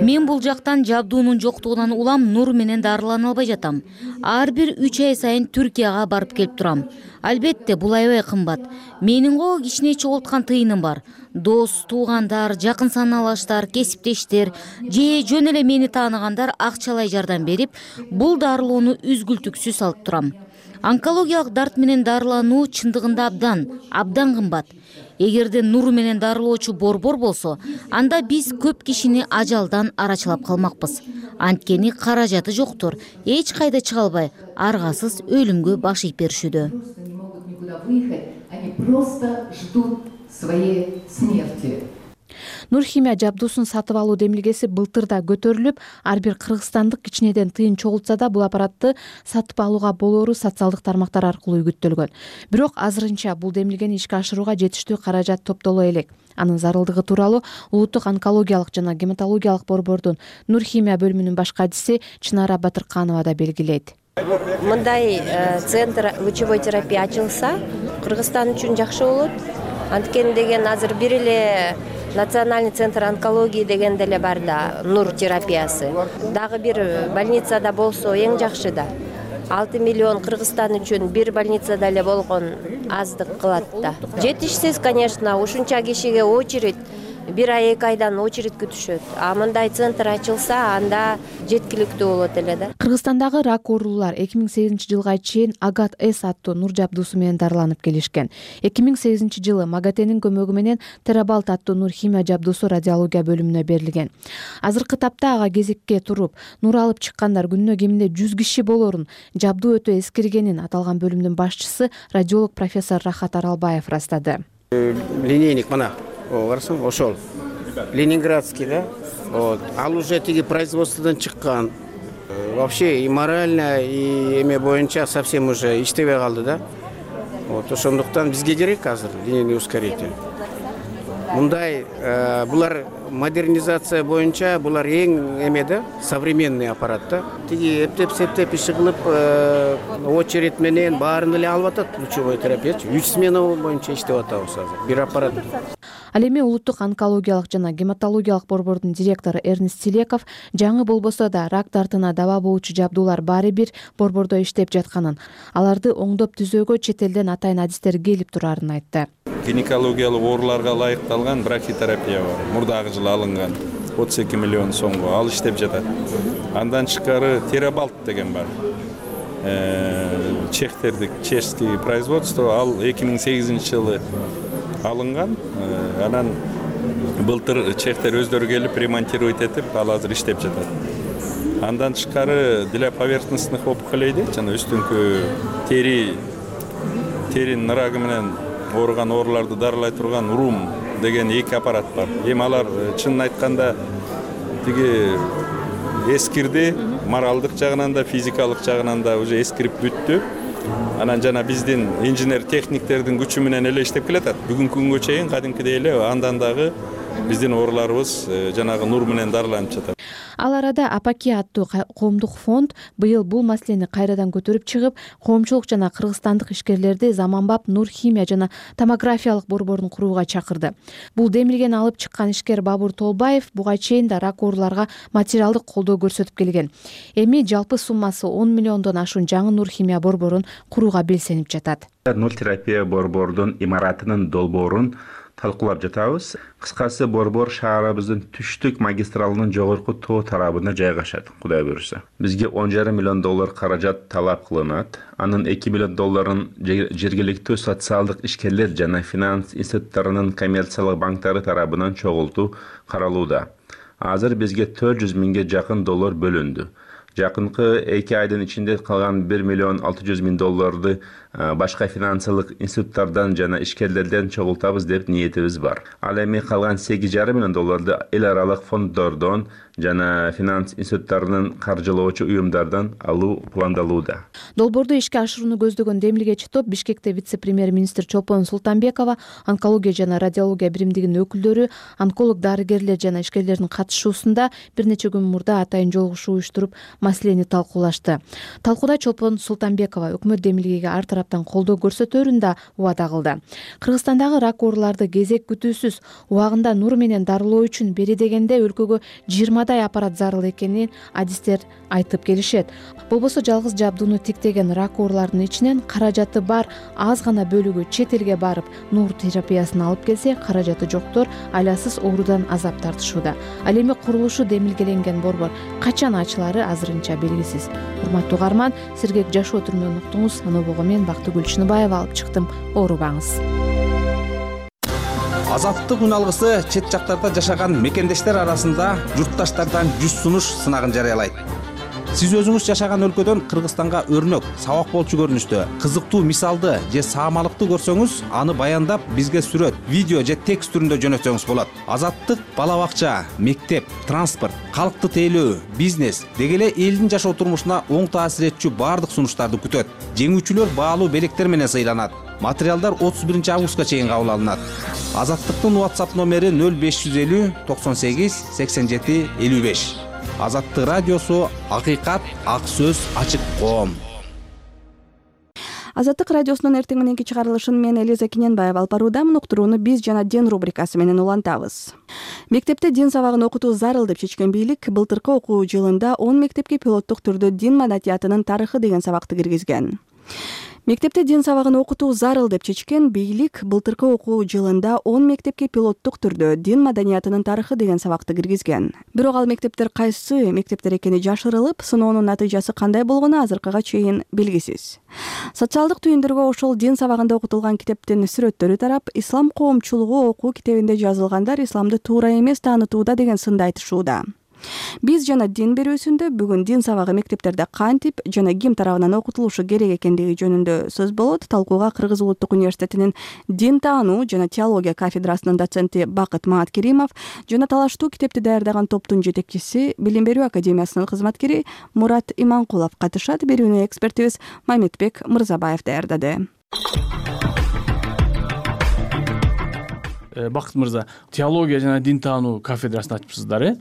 Мен бул жактан жабдуунун жоктугунан улам нур менен дарылана албай жатам. Ар бир үч ай сайын Түркияга барып келип турам. Албетте бул аябай кымбат. Менин го кичине чогулткан тыйыным бар. Дос, туугандар, жакын саналаштар, кесиптештер же жөн эле мени тааныгандар акчалай жардам берип, бул дарылоону үзгүлтүксүз алып турам. Онкологиялык дарт менен дарылануу чындыгында абдан, абдан кымбат. Эгерде нур менен дарылоочу борбор болсо, анда биз көп кишини ажалдан арачылап калмакпыз. Анткени каражаты жоктур, эч кайда чыга албай, аргасыз өлүмгө баш ийип беришүүдө. Нур химия жабдуусун сатып алуу демилгеси былтыр да көтөрүлүп, ар бир кыргызстандык кичинеден тыйын чогултса да бул аппаратты сатып алууга болоору социалдык тармактар аркылуу үгүттөлгөн. Бирок азырынча бул демилгени ишке ашырууга жетиштүү каражат топтоло элек. Анын зарылдыгы тууралуу улуттук онкологиялык жана гематологиялык борбордун нур химия бөлүмүнүн баш кадиси Чынара Батырканова да белгилейт. Мындай центр лучевой терапия ачылса, Кыргызстан үчүн жакшы болот. Анткени деген азыр бир эле Национальный центр онкологии деген деле бар да, нур терапиясы. Дагы бир больницада болсо эң жакшы да. алты миллион Кыргызстан үчүн бир больницада эле болгон аздык кылат да. Жетишсиз, конечно, ушунча кишиге очередь бир ай эки айдан очередь күтүшөт. А мындай центр ачылса, анда жеткиликтүү болот эле да. Кыргызстандагы рак оорулуулар эки миң сегизинчи жылга чейин Агат С аттуу нур жабдуусу менен дарыланып келишкен. эки миң сегизинчи жылы Магатенин көмөгү менен Терабалт аттуу нур химия жабдуусу радиология бөлүмүнө берилген. Азыркы тапта ага кезекке туруп, нур алып чыккандар күнүнө кеминде жүз киши болорун, жабдуу өтө эскиргенин аталган бөлүмдүн башчысы радиолог профессор Рахат Аралбаев ырастады. Линейник мына барсаң, ошол ленинградский да. Вот. Ал уже тиги производстводан чыккан. Вообще и морально, и эме боюнча совсем уже иштебей калды да. Вот ошондуктан бизге керек азыр линейный ускоритель. мындай булар модернизация боюнча булар эң эме да, современный аппарат да. Тиги эптеп септеп иши кылып очередь менен баарын эле алып атат лучевой терапиячы. үч смена боюнча иштеп атабыз азыр. Бир аппарат. Ал эми улуттук онкологиялык жана гематологиялык борбордун директору Эрнест Силеков жаңы болбосо да рак дартына даба болуучу жабдуулар баары бир борбордо иштеп жатканын, аларды оңдоп түзөөгө чет элден атайын адистер келип турарын айтты. Гинекологиялык ооруларга ылайыкталган брахитерапия бар. Мурдагы жылы алынган отуз эки миллион сомго ал иштеп жатат. Андан тышкары терабалт деген бар. Чехтердик чешский производство ал эки миң сегизинчи жылы алынган. Анан былтыр чехтер өздөрү келип ремонтировать этип, ал азыр иштеп жатат. Андан тышкары для поверхностных опухолей дейт, жана үстүңкү тери теринин ырагы менен ооруган ооруларды дарылай турган урум деген эки аппарат бар. Эми алар чынын айтканда тиги эскирди, моралдык жагынан да, физикалык жагынан да уже эскирип бүттү. Анан жана биздин инженер техниктердин күчү менен эле иштеп келатат. Бүгүнкү күнгө чейин кадимкидей эле андан дагы биздин ооруларыбыз жанагы нур менен дарыланып жатат. Ал арада Апаки аттуу коомдук фонд быйыл бул маселени кайрадан көтөрүп чыгып, коомчулук жана кыргызстандык ишкерлерди заманбап нур химия жана томографиялык борборун курууга чакырды. Бул демилгени алып чыккан ишкер Бабур Толбаев буга чейин да рак ооруларга материалдык колдоо көрсөтүп келген. Эми жалпы суммасы он миллиондон ашуун жаңы нур химия борборун курууга белсенип жатат. Нур терапия борбордун имаратынын долбоорун талкуулап жатабыз. Кыскасы борбор шаарыбыздын түштүк магистралынын жогорку тоо тарабына жайгашат, Кудай буюрса. Бизге он жарым миллион доллар каражат талап кылынат. Анын эки миллион долларын жергиликтүү социалдык ишкерлер жана финанс институттарынын коммерциялык банктары тарабынан чогултуу каралууда. Азыр бизге төрт жүз миңге жакын доллар бөлүндү. Жакынкы эки айдын ичинде калган бир миллион алты жүз миң долларды башка финансылык институттардан жана ишкерлерден чогултабыз деп ниетибиз бар. Ал эми калган сегиз жарым миллион долларды эл аралык фонддордон жана финанс институттарынын каржылоочу уюмдардан алуу пландалууда. Долбоорду ишке ашырууну көздөгөн демилгечи топ Бишкекте вице-премьер-министр Чолпон Султанбекова, онкология жана радиология биримдигинин өкүлдөрү, онколог дарыгерлер жана ишкерлердин катышуусунда бир нече күн мурда атайын жолугушуу уюштуруп маселени талкуулашты. Талкууда Чолпон Султанбекова өкмөт демилгеге ар тараптан колдоо көрсөтөрүн да убада кылды. Кыргызстандагы рак ооруларды кезек күтүүсүз убагында нур менен дарылоо үчүн бери дегенде өлкөгө жыйырмадай аппарат зарыл экенин адистер айтып келишет. Болбосо жалгыз жабдууну тиктеген рак ооруларынын ичинен каражаты бар аз гана бөлүгү чет элге барып нур терапиясын алып келсе, каражаты жоктор айласыз оорудан азап тартышууда. Ал эми курулушу демилгеленген борбор качан ачылары азырынча белгисиз. Урматтуу угарман, сергек жашоо түрмөгүн уктуңуз. Анобого мен Бактыгүл Чыныбаева алып чыктым. Оорубаңыз. Азаттык үн алгысы чет жактарда жашаган мекендештер арасында журтташтардан жүз сунуш сынагын жарыялайт. Сиз өзүңүз жашаган өлкөдөн Кыргызстанга өрнөк, сабак болчу көрүнүштө, кызыктуу мисалды же саамалыкты көрсөңүз, аны баяндап бизге сүрөт, видео же текст түрүндө жөнөтсөңүз болот. Азаттык бала бакча, мектеп, транспорт, калкты тейлөө, бизнес деги эле элдин жашоо турмушуна оң таасир этчү баардык сунуштарды күтөт. Жеңүүчүлөр баалуу белектер менен сыйланат. Материалдар отуз биринчи августка чейин кабыл алынат. Азаттыктын WhatsApp номери нөл беш жүз элүү токсон сегиз сексен жети элүү беш. Азаттык радиосу, акыйкат, ак сөз, ачык коом. Азаттык радиосунун эртең мененки чыгарылышын мен Элиза Кененбаева алып баруудамын. Уктурууну биз жана ден рубрикасы менен улантабыз. Мектепте дин сабагын окутуу зарыл деп чечкен бийлик былтыркы окуу жылында он мектепке пилоттук түрдө дин маданиятынын тарыхы деген сабакты киргизген. Мектепте дин сабагын окутуу зарыл деп чечкен бийлик былтыркы окуу жылында он мектепке пилоттук түрдө дин маданиятынын тарыхы деген сабакты киргизген. Бирок ал мектептер кайсы мектептер экени жашырылып, сыноонун натыйжасы кандай болгону азыркыга чейин белгисиз. Социалдык түйүндөргө ошол дин сабагында окутулган китептин сүрөттөрү тарап, ислам коомчулугу окуу китебинде жазылгандар исламды туура эмес таанытууда деген сынды айтышууда. Биз жана дин берүүсүндө бүгүн дин сабагы мектептерде кантип жана ким тарабынан окутулушу керек экендиги жөнүндө сөз болот. Талкууга Кыргыз улуттук университетинин дин таануу жана теология кафедрасынын доценти Бакыт Мааткеримов жана талаштуу китепти даярдаган топтун жетекчиси, Билим берүү академиясынын кызматкери Мурат Иманкулов катышат. Берүүнү экспертибиз Мамедбек Мырзабаев даярдады. Бакыт мырза, теология жана дин таануу кафедрасын ачыпсыздар, э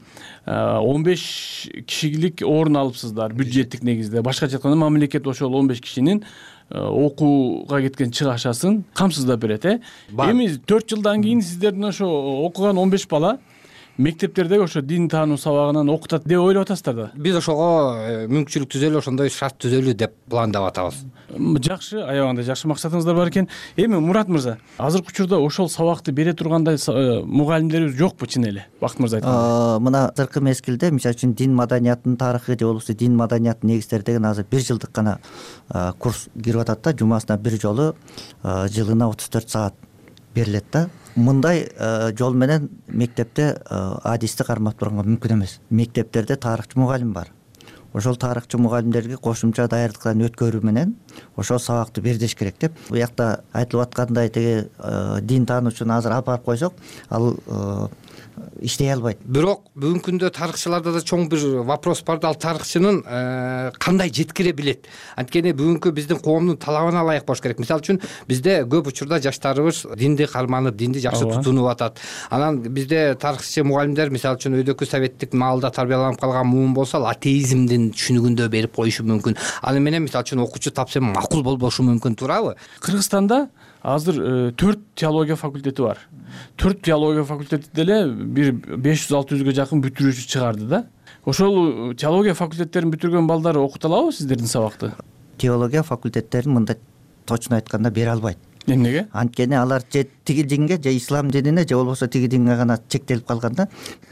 он беш кишилик орун алыпсыздар бюджеттик негизде. Башкача айтканда мамлекет ошол он беш кишинин окууга кеткен чыгашасын камсыздап берет, э эми төрт жылдан кийин сиздердин ошо окуган он беш бала мектептердеги ошо дин таануу сабагынан окутат деп ойлоп атасыздар да? Биз ошого мүмкүнчүлүк түзөлү, ошондой шарт түзөлү деп пландап атабыз. Жакшы, аябагандай жакшы максатыңыздар бар экен. Эми Мурат мырза, азыркы учурда ошол сабакты бере тургандай мугалимдерибиз жокпу чын эле? Бакыт мырза айткандай. Мына азыркы мезгилде, мисалы үчүн дин маданиятынын тарыхы же болбосо дин маданиятынын негиздери деген азыр бир жылдык гана курс кирип атат да, жумасына бир жолу жылына отуз төрт саат берилет да. Мындай жол менен мектепте адисти кармап турганга мүмкүн эмес. Мектептерде тарыхчы мугалим бар. Ошол тарыхчы мугалимдерге кошумча даярдыктан өткөрүү менен ошол сабакты бердеш керек деп. Буякта айтылып аткандай теги дин таануучуну азыр алып барып койсок, ал иштей албайт. Бирок бүгүнкү күндө тарыхчыларда да чоң бир вопрос бар да, ал тарыхчынын кандай жеткире билет? Анткени бүгүнкү биздин коомдун талабына ылайык болуш керек. Мисалы үчүн бизде көп учурда жаштарыбыз динди карманып, динди жакшы тутунуп атат. Анан бизде тарыхчы мугалимдер, мисалы үчүн өйдөкү советтик маалда тарбияланып калган муун болсо, ал атеизмдин түшүнүгүндө берип коюшу мүмкүн. Аны менен мисалы үчүн окуучу тапса макул болбошу мүмкүн, туурабы? Кыргызстанда азыр төрт теология факультети бар. төрт теология факультети деле бир беш жүз алты жүзгө жакын бүтүрүүчү чыгарды да. Ошол теология факультеттерин бүтүргөн балдар окута алабы сиздердин сабакты? Теология факультеттерин мындай точно айтканда бере албайт. Эмнеге? Анткени алар же тиги динге, же ислам динине, же болбосо тиги динге гана чектелип калган да.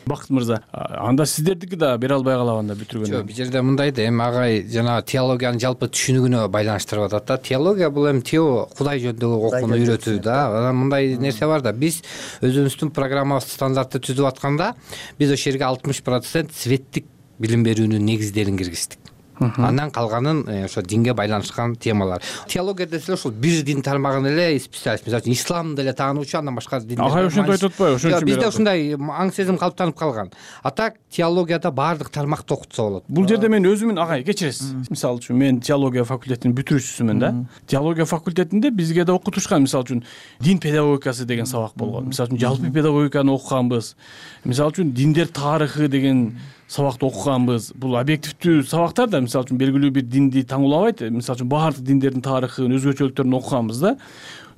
Бакыт мырза, анда сиздердики да бере албай калабы анда бүтүргөндө? Жок, бул жерде мындай да, эми агай жана теологиянын жалпы түшүнүгүнө байланыштырып атат да. Теология бул эми тео Кудай жөнүндөгү окууну үйрөтүү да. Анан мындай нерсе бар да, биз өзүбүздүн программабыз стандартты түзүп атканда, биз ошол жерге алтымыш процент светтик билим берүүнүн негиздерин киргиздик. Андан калганын ошо динге байланышкан темалар. Теология десе ошол бир дин тармагын эле специалист, мисалы үчүн ислам деле таануучу, андан башка дин. Агай ошентип айтып атпайбы? Ошон үчүн бизде ушундай аң сезим калыптанып калган. А так теологияда баардык тармакты окутса болот. Бул жерде мен өзүмүн агай кечиресиз. Мисалы үчүн мен теология факультетинин бүтүрүүчүсүмүн да. Теология факультетинде бизге да окутушкан, мисалы үчүн дин педагогикасы деген сабак болгон. Мисалы үчүн жалпы педагогиканы окуганбыз. Мисалы үчүн диндер тарыхы деген сабакты окуганбыз. Бул объективдүү сабактар да, мисалы үчүн белгилүү бир динди таңуулабайт. Мисалы үчүн баардык диндердин тарыхын, өзгөчөлүктөрүн окуганбыз да.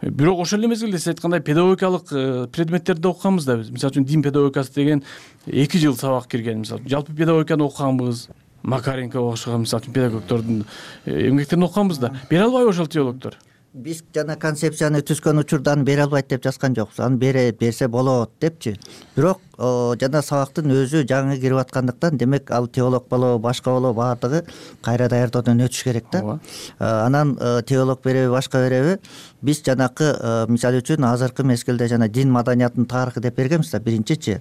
Бирок ошол эле мезгилде сиз айткандай педагогикалык предметтерди окуганбыз да биз. Мисалы үчүн дин педагогикасы деген эки жыл сабак кирген. Мисалы жалпы педагогиканы окуганбыз. Макаренко окшогон мисалы үчүн педагогдордун эмгектерин окуганбыз да. Бере албайбы ошол теологдор? Биз жана концепцияны түзгөн учурдан бере албайт деп жазган жокпуз. Аны бере берсе болот депчи. Бирок жана сабактын өзү жаңы кирип аткандыктан, демек ал теолог болобу, башка болобу, баардыгы кайра даярдоодон өтүш керек да. Анан теолог береби, башка береби, биз жанакы мисалы үчүн азыркы мезгилде жана дин маданиятынын тарыхы деп бергенбиз да, биринчичи.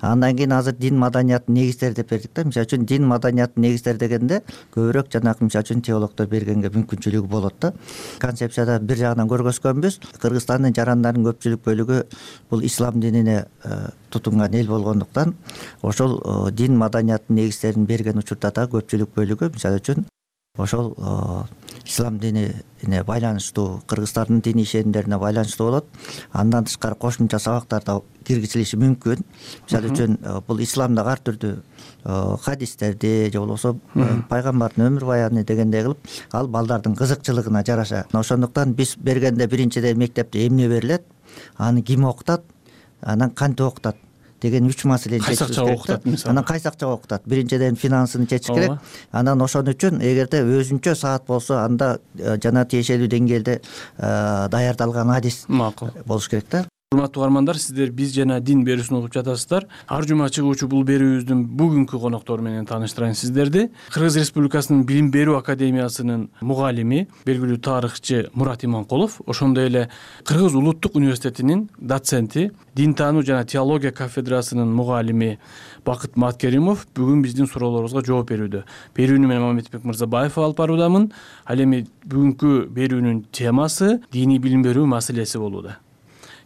Андан кийин азыр дин маданиятынын негиздери деп бердик да. Мисалы үчүн дин маданиятынын негиздери дегенде көбүрөөк жанакы мисалы үчүн теологдор бергенге мүмкүнчүлүгү болот да. Концепцияда бир жагынан көргөзгөнбүз. Кыргызстандын жарандарынын көпчүлүк бөлүгү бул ислам динине тутунган эл болгондуктан, ошол дин маданиятынын негиздерин берген учурда да көпчүлүк бөлүгү мисалы үчүн ошол ислам динине байланыштуу, кыргыздардын диний ишенимдерине байланыштуу болот. Андан тышкары кошумча сабактар да киргизилиши мүмкүн. Мисалы үчүн бул исламдагы ар түрдүү хадистерди же болбосо пайгамбардын өмүр баяны дегендей кылып, ал балдардын кызыкчылыгына жараша. Ошондуктан биз бергенде биринчиден мектепте эмне берилет, аны ким окутат, анан кантип окутат деген үч маселени чечиш керек. Анан кайсы акчага окутат? Биринчиден финансыны чечиш керек. Анан ошон үчүн эгерде өзүнчө саат болсо, анда жана тиешелүү деңгээлде даярдалган адис болуш керек да. Урматтуу угармандар, сиздер биз жана дин берүүсүн угуп жатасыздар. Ар жума чыгуучу бул берүүбүздүн бүгүнкү коноктору менен тааныштырайын сиздерди. Кыргыз Республикасынын Билим берүү академиясынын мугалими, белгилүү тарыхчы Мурат Иманкулов, ошондой эле Кыргыз улуттук университетинин доценти, дин таануу жана теология кафедрасынын мугалими Бакыт Маткеримов бүгүн биздин суроолорубузга жооп берүүдө. Берүүнү мен Мамедбек Мырзабаев алып баруудамын. Ал эми бүгүнкү берүүнүн темасы диний билим берүү маселеси болууда.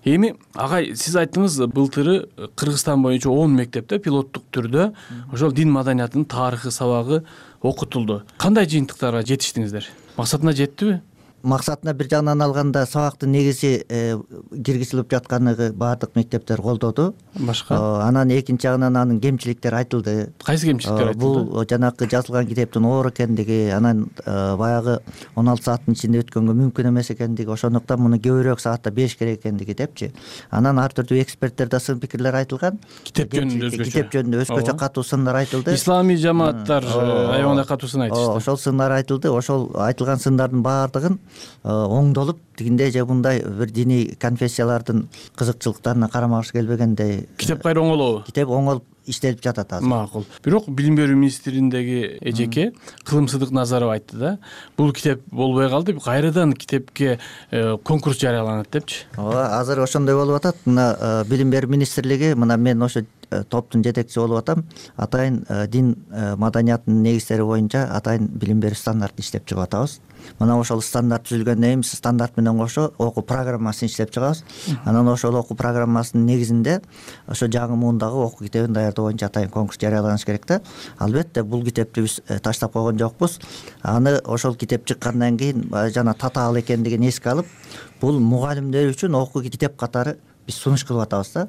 Эми агай, сиз айттыңыз, былтыры Кыргызстан боюнча он мектепте пилоттук түрдө ошол дин маданиятынын тарыхы сабагы окутулду. Кандай жыйынтыктарга жетиштиңиздер? Максатына жеттиби? максатына бир жагынан алганда сабактын негизи киргизилип жатканы баардык мектептер колдоду. Башка анан экинчи жагынан анын кемчиликтери айтылды. Кайсы кемчиликтер айтылды? Бул жанагы жазылган китептин оор экендиги, анан баягы он алты сааттын ичинде өткөнгө мүмкүн эмес экендиги, ошондуктан муну көбүрөөк саатта бериш керек экендиги депчи. Анан ар түрдүү эксперттерде сын пикирлер айтылган. Китеп жөнүндө өзгөчө китеп жөнүндө өзгөчө катуу сындар айтылды. Исламий жамааттар аябагандай катуу сын айтышты. Ошол сындар айтылды. Ошол айтылган сындардын баардыгын оңдолуп, тигиндей же мындай бир диний конфессиялардын кызыкчылыктарына карама-каршы келбегендей китеп кайра оңолобу? Китеп оңолуп иштелип жатат азыр. Макул. Бирок билим берүү министриндеги эжеке Кылым Сыдыкназаров айтты да, бул китеп болбой калды, кайрадан китепке конкурс жарыяланат депчи. Ооба, азыр ошондой болуп атат. Мына билим берүү министрлиги, мына мен ошо топтун жетекчиси болуп атам. Атайын дин маданиятынын негиздери боюнча атайын билим берүү стандартын иштеп чыгып атабыз. Мына ошол стандарт түзүлгөндөн кийин стандарт менен кошо окуу программасын иштеп чыгабыз. Анан ошол окуу программасынын негизинде ошо жаңы муундагы окуу китебин даярдоо боюнча атайын конкурс жарыяланыш керек да. Албетте бул китепти биз таштап койгон жокпуз. Аны ошол китеп чыккандан кийин жана татаал экендигин эске алып, бул мугалимдер үчүн окуу китеп катары биз сунуш кылып атабыз да.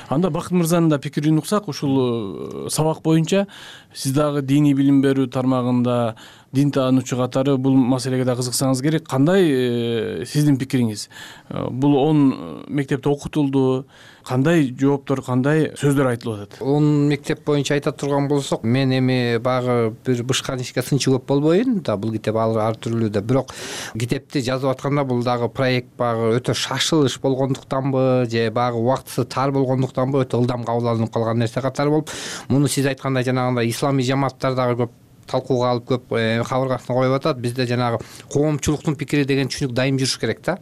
Анда Бакыт мырзанын да пикирин уксак, ушул сабак боюнча сиз дагы диний билим берүү тармагында дин таануучу катары бул маселеге да кызыксаңыз керек. Кандай сиздин пикириңиз? Бул он мектепте окутулду, кандай жооптор, кандай сөздөр айтылып атат? он мектеп боюнча айта турган болсок, мен эми баягы бир бышкан ишке сынчы көп болбоюн да, бул китеп ар түрлүү да. Бирок китепти жазып атканда бул дагы проект баягы өтө шашылыш болгондуктанбы же баягы убактысы тар болгондуктанбы өтө ылдам кабыл алынып калган нерсе катары болуп, муну сиз айткандай жанагындай исламий жамааттар дагы көп талкууга алып көп кабыргасына коюп атат. Бизде жанагы коомчулуктун пикири деген түшүнүк дайым жүрүш керек да.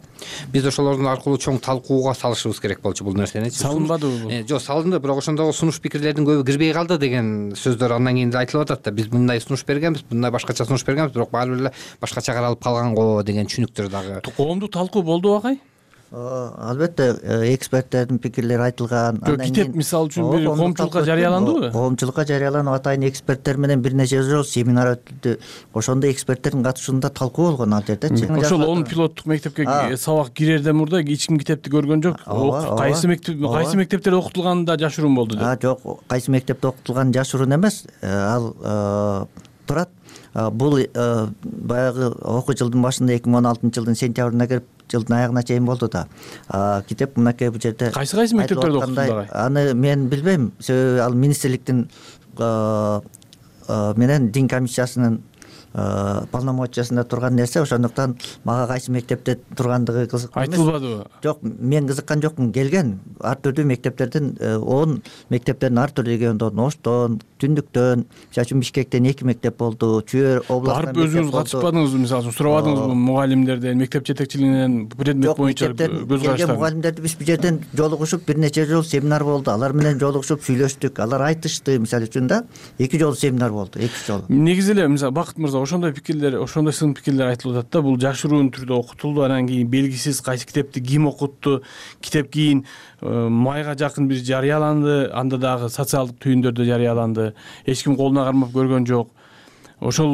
Биз ошолордун аркылуу чоң талкууга салышыбыз керек болчу бул нерсени. Салынбадыбы бул? Жок, салынды, бирок ошондогу сунуш пикирлердин көбү кирбей калды деген сөздөр андан кийин да айтылып атат да. Биз мындай сунуш бергенбиз, мындай башкача сунуш бергенбиз, бирок баары бир эле башкача каралып калган го деген түшүнүктөр дагы. Коомдук талкуу болдубу агай? Албетте эксперттердин пикирлери айтылган. Китеп мисалы үчүн бир коомчулукка жарыяландыбы? Коомчулукка жарыяланып, атайын эксперттер менен бир нече жолу семинар өтүлдү. Ошондо эксперттердин катышуусунда талкуу болгон ал жердечи. Ошол он пилоттук мектепке сабак кирерден мурда эч ким китепти көргөн жок. Кайсы мектеп кайсы мектептерде окутулганы да жашыруун болду деп. Жок, кайсы мектепте окутулганы жашыруун эмес. Ал турат. Бул баягы окуу жылдын башында эки миң он алтынчы жылдын сентябрына кирип жылдын аягына чейин болду да. Китеп мынакей бул жерде кайсы кайсы мектептерде окутулду? Аны мен билбейм. Себеби ал министрликтин менен дин комиссиясынын полномочиясында турган нерсе, ошондуктан мага кайсы мектепте тургандыгы кызыктуу эмес. Айтылбадыбы? Жок, мен кызыккан жокмун. Келген ар түрдүү мектептердин он мектептердин ар түрдүү региондон, Оштон, Түндүктөн, мисалы үчүн Бишкектен эки мектеп болду, Чүй областынан барып өзүңүз катышпадыңызбы? Мисалы үчүн сурабадыңызбы мугалимдерден, мектеп жетекчилигинен предмет боюнча көз караштарын? Мугалимдерди биз бул жерден жолугушуп бир нече жолу семинар болду. Алар менен жолугушуп сүйлөштүк. Алар айтышты, мисалы үчүн да. Эки жолу семинар болду, эки жолу. Негизи эле мисалы Бакыт мырза ошондой пикирлер, ошондой сын пикирлер айтылып атат да. Бул жашыруун түрдө окутулду, анан кийин белгисиз кайсы китепти ким окутту. Китеп кийин майга жакын бир жарыяланды, анда дагы социалдык түйүндөрдө жарыяланды. Эч ким колуна кармап көргөн жок. Ошол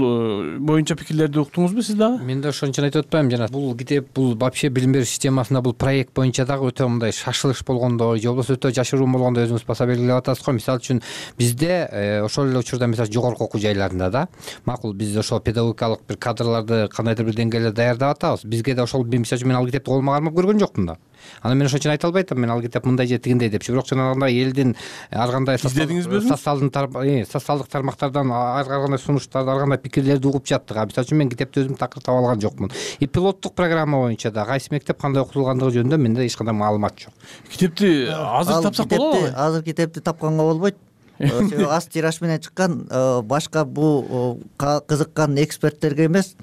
боюнча пикирлерди уктуңузбу сиз дагы? Мен да ошон үчүн айтып атпаймынбы, жана бул китеп бул вообще билим берүү системасында бул проект боюнча дагы өтө мындай шашылыш болгондо, же болбосо өтө жашыруун болгондо өзүңүз баса белгилеп атасыз го. Мисалы үчүн бизде ошол эле учурда мисалы жогорку окуу жайларында да макул биз ошол педагогикалык бир кадрларды кандайдыр бир деңгээлде даярдап атабыз. Бизге да ошол мисалы үчүн мен ал китепти колума кармап көргөн жокмун да. Анан мен ошон үчүн айта албай атам, мен ал китеп мындай же тигиндей депчи. Бирок жанагындай элдин ар кандай социалдык тармактардан ар кандай сунуштарды, ар кандай пикирлерди угуп жаттык. Мисалы үчүн мен китепти өзүм такыр таба алган жокмун. И пилоттук программа боюнча да кайсы мектеп кандай окутулгандыгы жөнүндө менде эч кандай маалымат жок. Китепти азыр тапсак болобу? Азыр китепти тапканга болбойт. Себеби аз тираж менен чыккан, башка бул кызыккан эксперттерге эмес.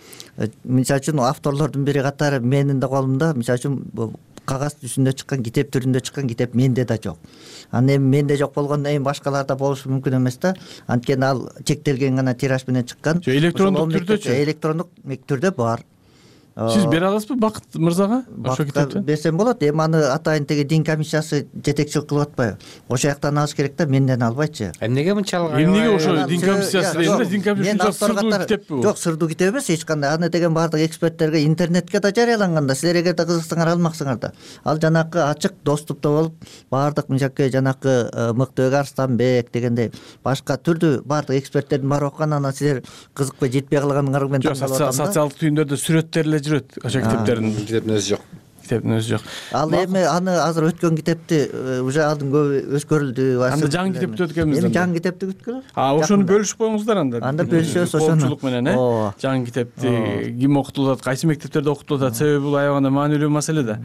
Мисалы үчүн авторлордун бири катары менин да колумда, мисалы үчүн кагаз түсүндө чыккан, китеп түрүндө чыккан китеп менде да жок. Анан эми менде жок болгондон кийин башкаларда болушу мүмкүн эмес да. Анткени ал чектелген гана тираж менен чыккан. Электрондук түрдөчү? Электрондук түрдө бар. Сиз бере аласызбы Бакыт мырзага ошо китепти? Берсем болот. Эми аны атайын теги дин комиссиясы жетекчилик кылып атпайбы? Ошол жактан алыш керек да, менден албайчы. Эмнеге мынчалык? Эмнеге ошо дин комиссиясы дегенде дин комиссиясы сырдуу китеппи бул? Жок, сырдуу китеп эмес эч кандай. Аны деген баардык эксперттерге интернетке да жарыяланган да. Силер эгерде кызыксаңар алмаксыңар да. Ал жанакы ачык доступта болуп, баардык мынчаки жанакы Мыктыбек Арстанбек дегендей башка түрдүү баардык эксперттердин баары окуган, анан силер кызыкпай жетпей калганыңар менен таңкалып атам да. Социалдык түйүндөрдө сүрөттөр эле жүрөт ошо китептердин. Китептин өзү жок. Китептин өзү жок. Ал эми аны азыр өткөн китепти уже алдын көбү өскөрүлдү. Анда жаңы китепти өткөнбүз. Эми жаңы китепти күткүлө. А, ошону бөлүшүп коюңуздар анда. Анда бөлүшөбүз ошону. Коомчулук менен, э? Жаңы китепти ким окутулат, кайсы мектептерде окутулат, себеби бул аябаганда маанилүү маселе да.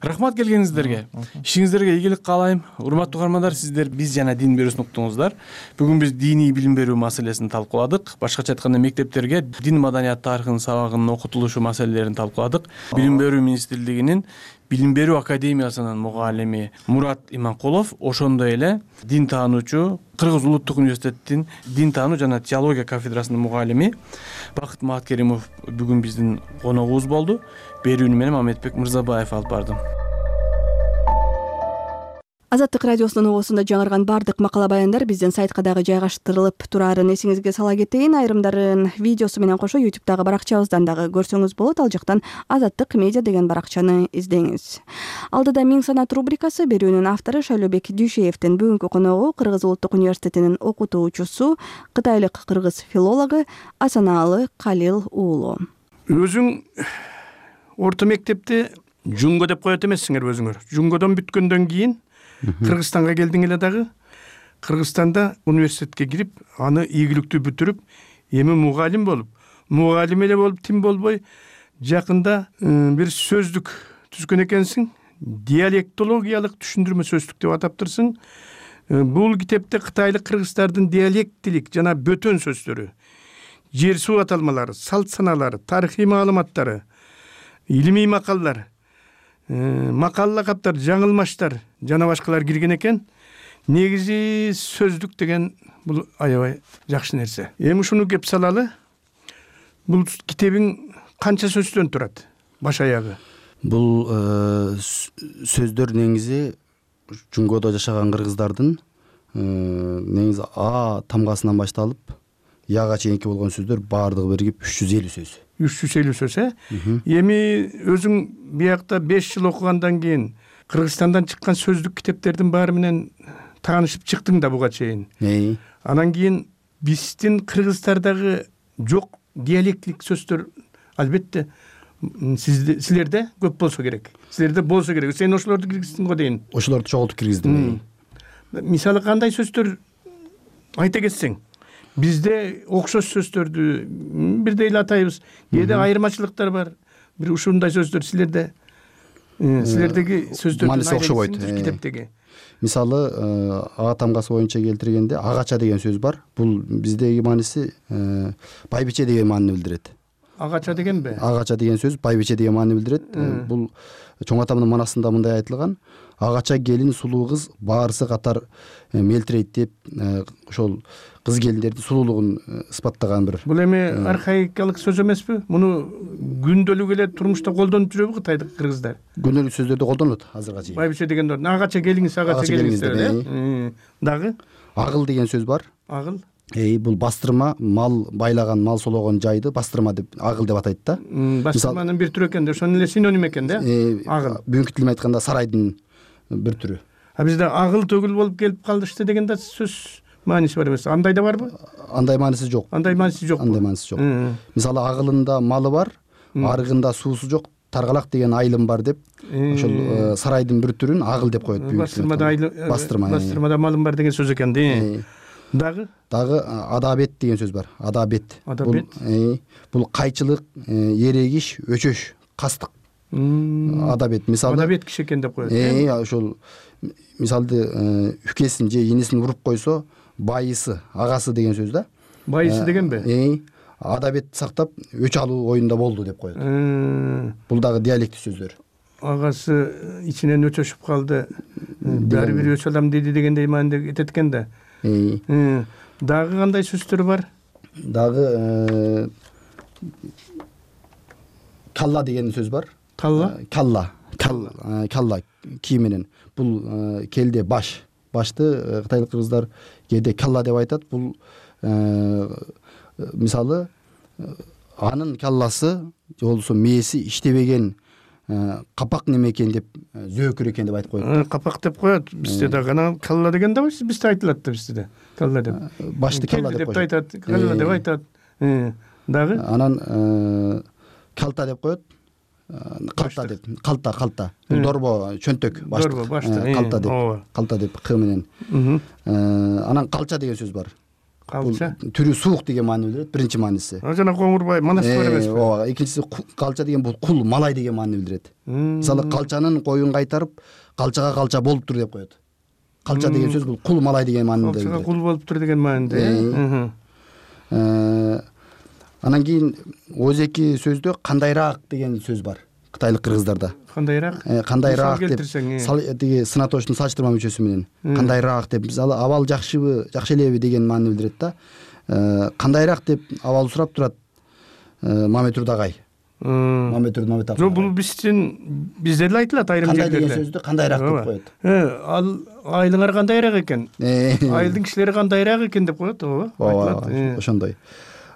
Рахмат келгениңиздерге. Ишиңиздерге ийгилик каалайм. Урматтуу угармандар, сиздер Биз жана дин берүүсүн уктуңуздар. Бүгүн биз диний билим берүү маселесин талкууладык. Башкача айтканда мектептерге дин маданият тарыхынын сабагынын окутулушу маселелерин талкууладык. Билим берүү министрлигинин Билим берүү академиясынын мугалими Мурат Иманкулов, ошондой эле дин таануучу Кыргыз улуттук университеттин дин таануу жана теология кафедрасынын мугалими Бакыт Маткеримов бүгүн биздин коногубуз болду. Берүүнү менен Мамедбек Мырзабаев алып бардым. Азаттык радиосунун угуусунда жаңырган баардык макала баяндар биздин сайтка дагы жайгаштырылып турарын эсиңизге сала кетейин. Айрымдарын видеосу менен кошо YouTube'дагы баракчабыздан дагы көрсөңүз болот. Ал жактан Азаттык медиа деген баракчаны издеңиз. Алдыда Миң санат рубрикасы. Берүүнүн автору Шайлообек Дүйшеевдин бүгүнкү коногу Кыргыз улуттук университетинин окутуучусу, кытайлык кыргыз филологу Асанаалы Калил уулу. Өзүң орто мектепти Жунго деп коет эмессиңер өзүңөр. Жунгодон бүткөндөн кийин Кыргызстанга келдиң эле дагы. Кыргызстанда университетке кирип, аны ийгиликтүү бүтүрүп, эми мугалим болуп, мугалим эле болуп тим болбой, жакында бир сөздүк түзгөн экенсиң. Диалектологиялык түшүндүрмө сөздүк деп атаптырсың. Бул китепте кытайлык кыргыздардын диалектилик жана бөтөн сөздөрү, жер суу аталмалары, салт саналары, тарыхый маалыматтары, илимий макаллар, макал лакаптар, жаңылмаштар жана башкалар кирген экен. Негизи сөздүк деген бул аябай жакшы нерсе. Эми ушуну кеп салалы. Бул китебиң канча сөздөн турат? Баш аягы. Бул сөздөр негизи Жунгодо жашаган кыргыздардын негизи А тамгасынан башталып Яга чейинки болгон сөздөр баардыгы биригип үч жүз элүү сөз. үч жүз элүү сөз, э? Эми өзүң биякта беш жыл окугандан кийин Кыргызстандан чыккан сөздүк китептердин баары менен таанышып чыктың да буга чейин. Анан кийин биздин кыргыздардагы жок диалектилик сөздөр албетте силерде көп болсо керек. Силерде болсо керек. Сен ошолорду киргиздиң го дейин. Ошолорду чогултуп киргиздим. Мисалы кандай сөздөр айта кетсең? Бизде окшош сөздөрдү бирдей эле атайбыз. Кээде айырмачылыктар бар. Бир ушундай сөздөр силерде силердеги сөздөрдүн мааниси окшобойт. Китептеги. Мисалы А тамгасы боюнча келтиргенде агача деген сөз бар. Бул биздеги мааниси байбиче деген маанини билдирет. Агача дегенби? Агача деген сөз байбиче деген маанини билдирет. Бул чоң атамдын манасында мындай айтылган: агача келин сулуу кыз баарысы катар мелтирейт деп ошол кыз келиндердин сулуулугун ысбаттаган бир. Бул эми архаикалык сөз эмеспи? Муну күндөлүк эле турмушта колдонуп жүрөбү кытайлык кыргыздар? Күндөлүк сөздөрдө колдонулат азырга чейин. Байбиче деген агача келиңиз, агача келиңиз деп. Дагы агыл деген сөз бар. Агыл. Эй, бул бастырма, мал байлаган, мал сологон жайды бастырма деп, агыл деп атайт да. Бастырманын бир түрү экен да, ошонун эле синоним экен да. Агыл. Бүгүнкү тилмен айтканда сарайдын бир түрү. А бизде агыл төгүл болуп келип калдышты деген да сөз мааниси бар эмес. Андай да барбы? Андай мааниси жок. Андай мааниси жок. Андай мааниси жок. Мисалы агылында малы бар, арыгында суусу жок, таргалак деген айылым бар деп, ошол сарайдын бир түрүн агыл деп коет. Бастырмада айылым, бастырмада малым бар деген сөз экен да. Дагы? Дагы адабет деген сөз бар. Адабет. Адабет. Бул кайчылык, эрегиш, өчөш, кастык. Адабет. Мисалы адабет киши экен деп коет. Э, ошол мисалды үкесин же инисин уруп койсо, байысы, агасы деген сөз да. Байысы дегенби? Э, адабет сактап өч алуу оюнда болду деп коет. Бул дагы диалектик сөздөр. Агасы ичинен өчөшүп калды. Баары бир өч алам деди дегендей мааниде кетет экен да. Дагы кандай сөздөр бар? Дагы калла деген сөз бар. Калла? Калла. Калла кий менен. Бул келде баш. Башты кытайлык кыргыздар кээде калла деп айтат. Бул мисалы анын калласы же болбосо мээси иштебеген капак неме экен деп, зөөкүр экен деп айтып коет. Капак деп коет. Бизде дагы анан калла деген да бизде айтылат да, бизде да. Калла деп. Башты калла деп айтат, калла деп айтат. Дагы анан калта деп коет. Калта деп, калта, калта. Бул дорбо, чөнтөк, баштык. Дорбо, баштык. Калта деп, калта деп к менен. Анан калча деген сөз бар. Калча. Түрү суук деген маани билдирет, биринчи мааниси. Жана Коңурбай манас бар эмеспи? Ооба, экинчиси калча деген бул кул, малай деген маани билдирет. Мисалы калчанын коюн кайтарып, калчага калча болуптур деп коет. Калча деген сөз бул кул, малай деген мааниде билдирет. Калчага кул болуптур деген мааниде. Анан кийин өзеки сөздө кандайраак деген сөз бар кытайлык кыргыздарда. Кандайраак? Кандайраак деп тиги сынатоочтун салыштырма мүчөсү менен. Кандайраак деп, мисалы абал жакшыбы, жакшы элеби деген маани билдирет да. Кандайраак деп абал сурап турат Мамет Урдагай. Мамет Урд Мамет Акын. Жок, бул биздин бизде эле айтылат айрым жерлерде. Кандай деген сөздү кандайраак деп коет. Ал айылыңар кандайраак экен. Айылдын кишилери кандайраак экен деп коет, ооба. Ооба, ошондой.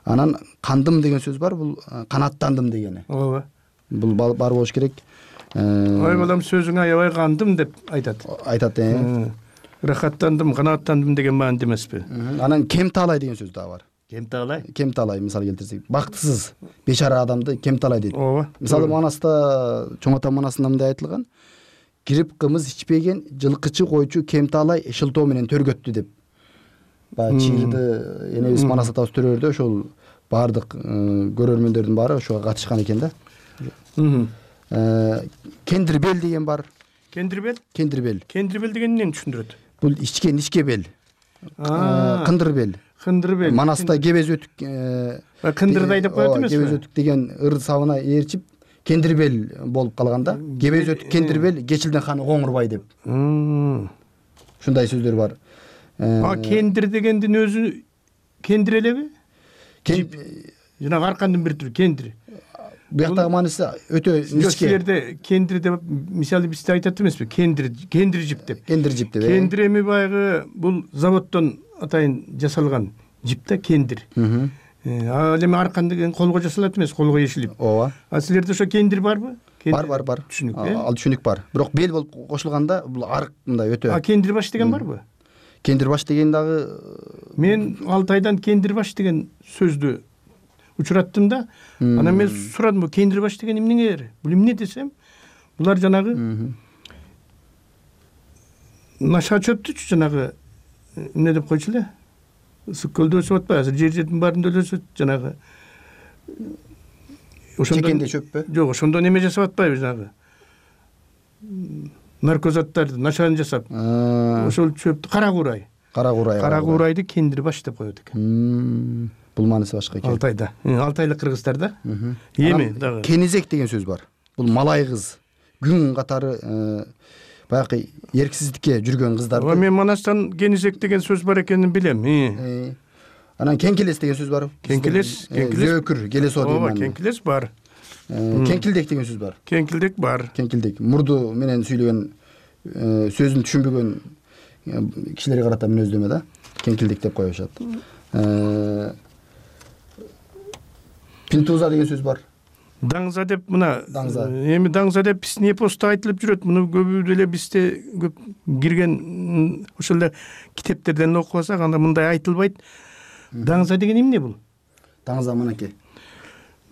Анан кандым деген сөз бар, бул канаттандым дегени. Ооба. Бул бар болуш керек. Ой балам, сөзүңө аябай кандым деп айтат. Айтат, э. Рахаттандым, канааттандым деген мааниде эмеспи? Анан кемтаалай деген сөз дагы бар. Кемтаалай? Кемтаалай мисал келтирсек, бактысыз, бечара адамды кемтаалай дейт. Ооба. Мисалы Манаста, Чоң Ата Манасында мындай айтылган: кирип кымыз ичпеген жылкычы койчу кемтаалай шылтоо менен төргөттү деп. Баягы чийирди энебиз Манас атабыз төрөөрдө ошол баардык көрөрмөндөрдүн баары ошого катышкан экен да. Кендирбел деген бар. Кендирбел? Кендирбел. Кендирбел деген эмнени түшүндүрөт? Бул ичкен ичкебел. Кындырбел. Кындырбел. Манаста кебез өтүк. Кындырдай деп коет эмеспи? Кебез өтүк деген ыр сабына ээрчип кендирбел болуп калган да. Кебез өтүк кендирбел, Кечилдин ханы Коңурбай деп. Ушундай сөздөр бар. А кендир дегендин өзү кендир элеби? Жана аркандын бир түрү кендир. Буяктагы мааниси өтө ничке. Силерде кендир деп мисалы бизде айтат эмеспи? Кендир, кендир жип деп. Кендир жип деп. Кендир эми баягы бул заводдон атайын жасалган жип да, кендир. Ал эми аркан деген колго жасалат эмес, колго ешилип. Ооба. А силерде ошо кендир барбы? Бар, бар, бар. Түшүнүк, э? Ал түшүнүк бар. Бирок бел болуп кошулганда бул арык мындай өтө. А кендир баш деген барбы? Кендир баш деген дагы мен Алтайдан кендир баш деген сөздү учураттым да. Анан мен сурадым, бул кендир баш деген эмнеңер? Бул эмне десем, булар жанагы наша чөптүчү жанагы эмне деп койчу эле? Ысык көлдө өсүп атпайбы? Азыр жер жердин баарында эле өсөт жанагы. Ошондон чекенде чөппү? Жок, ошондон эме жасап атпайбы жанагы? Наркозаттарды нашаны жасап. Ошол чөптү кара куурай. Кара куурай. Кара куурайды кендир баш деп коет экен. Бул мааниси башка экен. Алтайда. Алтайлык кыргыздарда. Эми дагы кенизек деген сөз бар. Бул малай кыз. Күн катары баягы эрксиздикке жүргөн кыздар. Мен Манастан кенизек деген сөз бар экенин билем. Анан кеңкелес деген сөз бар. Кеңкелес, кеңкелес. Зөөкүр, келесо деген. Ооба, кеңкелес бар. Кеңкилдек деген сөз бар. Кеңкилдек бар. Кеңкилдек. Мурду менен сүйлөгөн сөзүн түшүнбөгөн кишилерге карата мүнөздөмө да. Кеңкилдек деп коюшат. Пинтуза деген сөз бар. Даңза деп мына эми даңза деп биздин эпоста айтылып жүрөт. Муну көбү деле бизде көп кирген ошол эле китептерден окуп алсак, анда мындай айтылбайт. Даңза деген эмне бул? Даңза мынакей.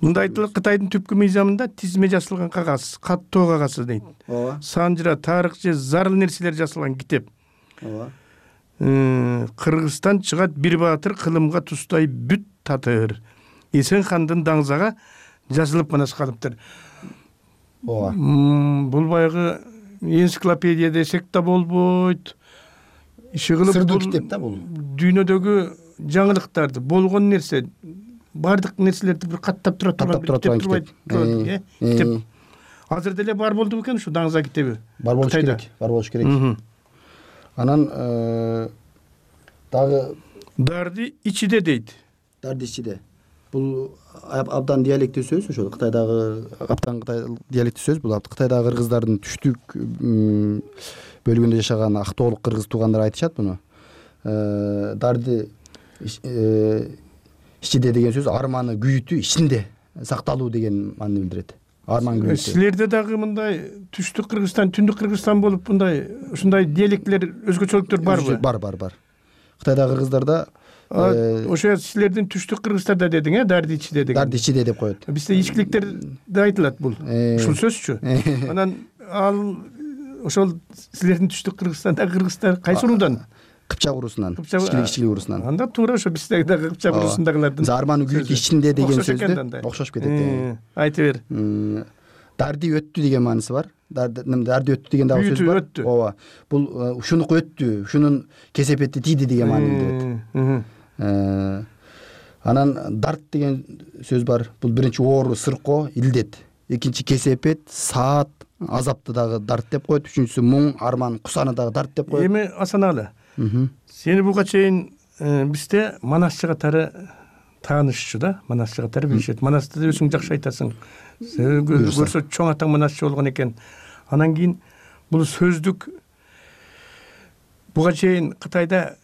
Мында айтылат, Кытайдын түпкү мыйзамында тизме жасалган кагаз, каттоо кагазы дейт. Ооба. Санжыра, тарых же зарыл нерселер жасалган китеп. Ооба. Кыргызстан чыгат бир баатыр, кылымга тустай бүт татыр. Эсен хандын даңзага жазылып манас калыптыр. Ооба. Бул баягы энциклопедия десек да болбойт. Иши кылып сырдуу китеп да бул. Дүйнөдөгү жаңылыктарды, болгон нерсе, бардык нерселерди бир каттап тура турган китеп. Китеп. Азыр деле бар болду бекен ушу даңза китеби? Бар болуш керек, бар болуш керек. Анан дагы дарды ичиде дейт. Дарды ичиде. бул абдан диалектий сөз, ошол Кытайдагы абдан Кытай диалектий сөз. Бул Кытайдагы кыргыздардын түштүк бөлүгүндө жашаган актоолук кыргыз туугандар айтышат муну. Дарди ичинде деген сөз арманы күйүтү ичинде сакталуу деген маанини билдирет. Арман күйүтү. Силерде дагы мындай түштүк Кыргызстан, түндүк Кыргызстан болуп мындай ушундай диалектилер, өзгөчөлүктөр барбы? Бар, бар, бар. Кытайдагы кыргыздарда ошо силердин түштүк Кыргызстарда дедиң, э, дарди ичиде деген. Дарди ичиде деп коет. Бизде ичкиликтерде айтылат бул. Ушул сөзчү. Анан ал ошол силердин түштүк Кыргызстандагы кыргыздар кайсы уруудан? Кыпчак уруусунан, ичкилик ичкилик уруусунан. Анда туура ошо биздеги дагы Кыпчак уруусундагылардын. Арманы күйүтү ичинде деген сөздө окшош кетет. Айта бер. Дарди өттү деген мааниси бар. Дарди өттү деген дагы сөз бар. Ооба. Бул ушунуку өттү, ушунун кесепети тийди деген маани билдирет. Анан дарт деген сөз бар. Бул биринчи оору, сыркоо, илдет. Экинчи кесепет, саат, азапты дагы дарт деп коет. Үчүнчүсү муң, арман, кусаны дагы дарт деп коет. Эми Асаналы, сени буга чейин бизде Манас жыгаттары таанышчу да, Манас жыгаттары билишет. Манасты өзүң жакшы айтасың. Көрсө чоң атаң Манасчы болгон экен. Анан кийин бул сөздүк буга чейин Кытайда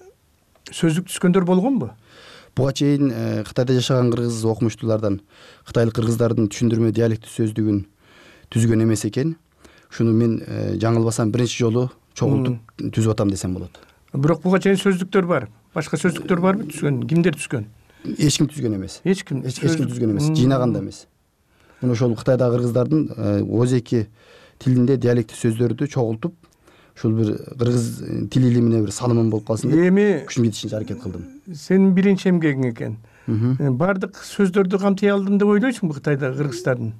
сөздүк түзгөндөр болгонбу? Буга чейин Кытайда жашаган кыргыз окумуштуулардан кытайлык кыргыздардын түшүндүрмө диалектий сөздүгүн түзгөн эмес экен. Шуну мен жаңылбасам биринчи жолу чогултуп түзүп атам десем болот. Бирок буга чейин сөздүктөр бар. Башка сөздүктөр барбы түзгөн? Кимдер түзгөн? Эч ким түзгөн эмес. Эч ким. Эч ким түзгөн эмес. Жыйнаган да эмес. Муну ошол Кытайдагы кыргыздардын өз эки тилинде диалектий сөздөрдү чогултуп, ушул бир кыргыз тил илимине бир салымым болуп калсын деп эми күчүм жетишинче аракет кылдым. Сенин биринчи эмгегиң экен. Бардык сөздөрдү камтый алдым деп ойлойсуңбу Кытайдагы кыргыздардын?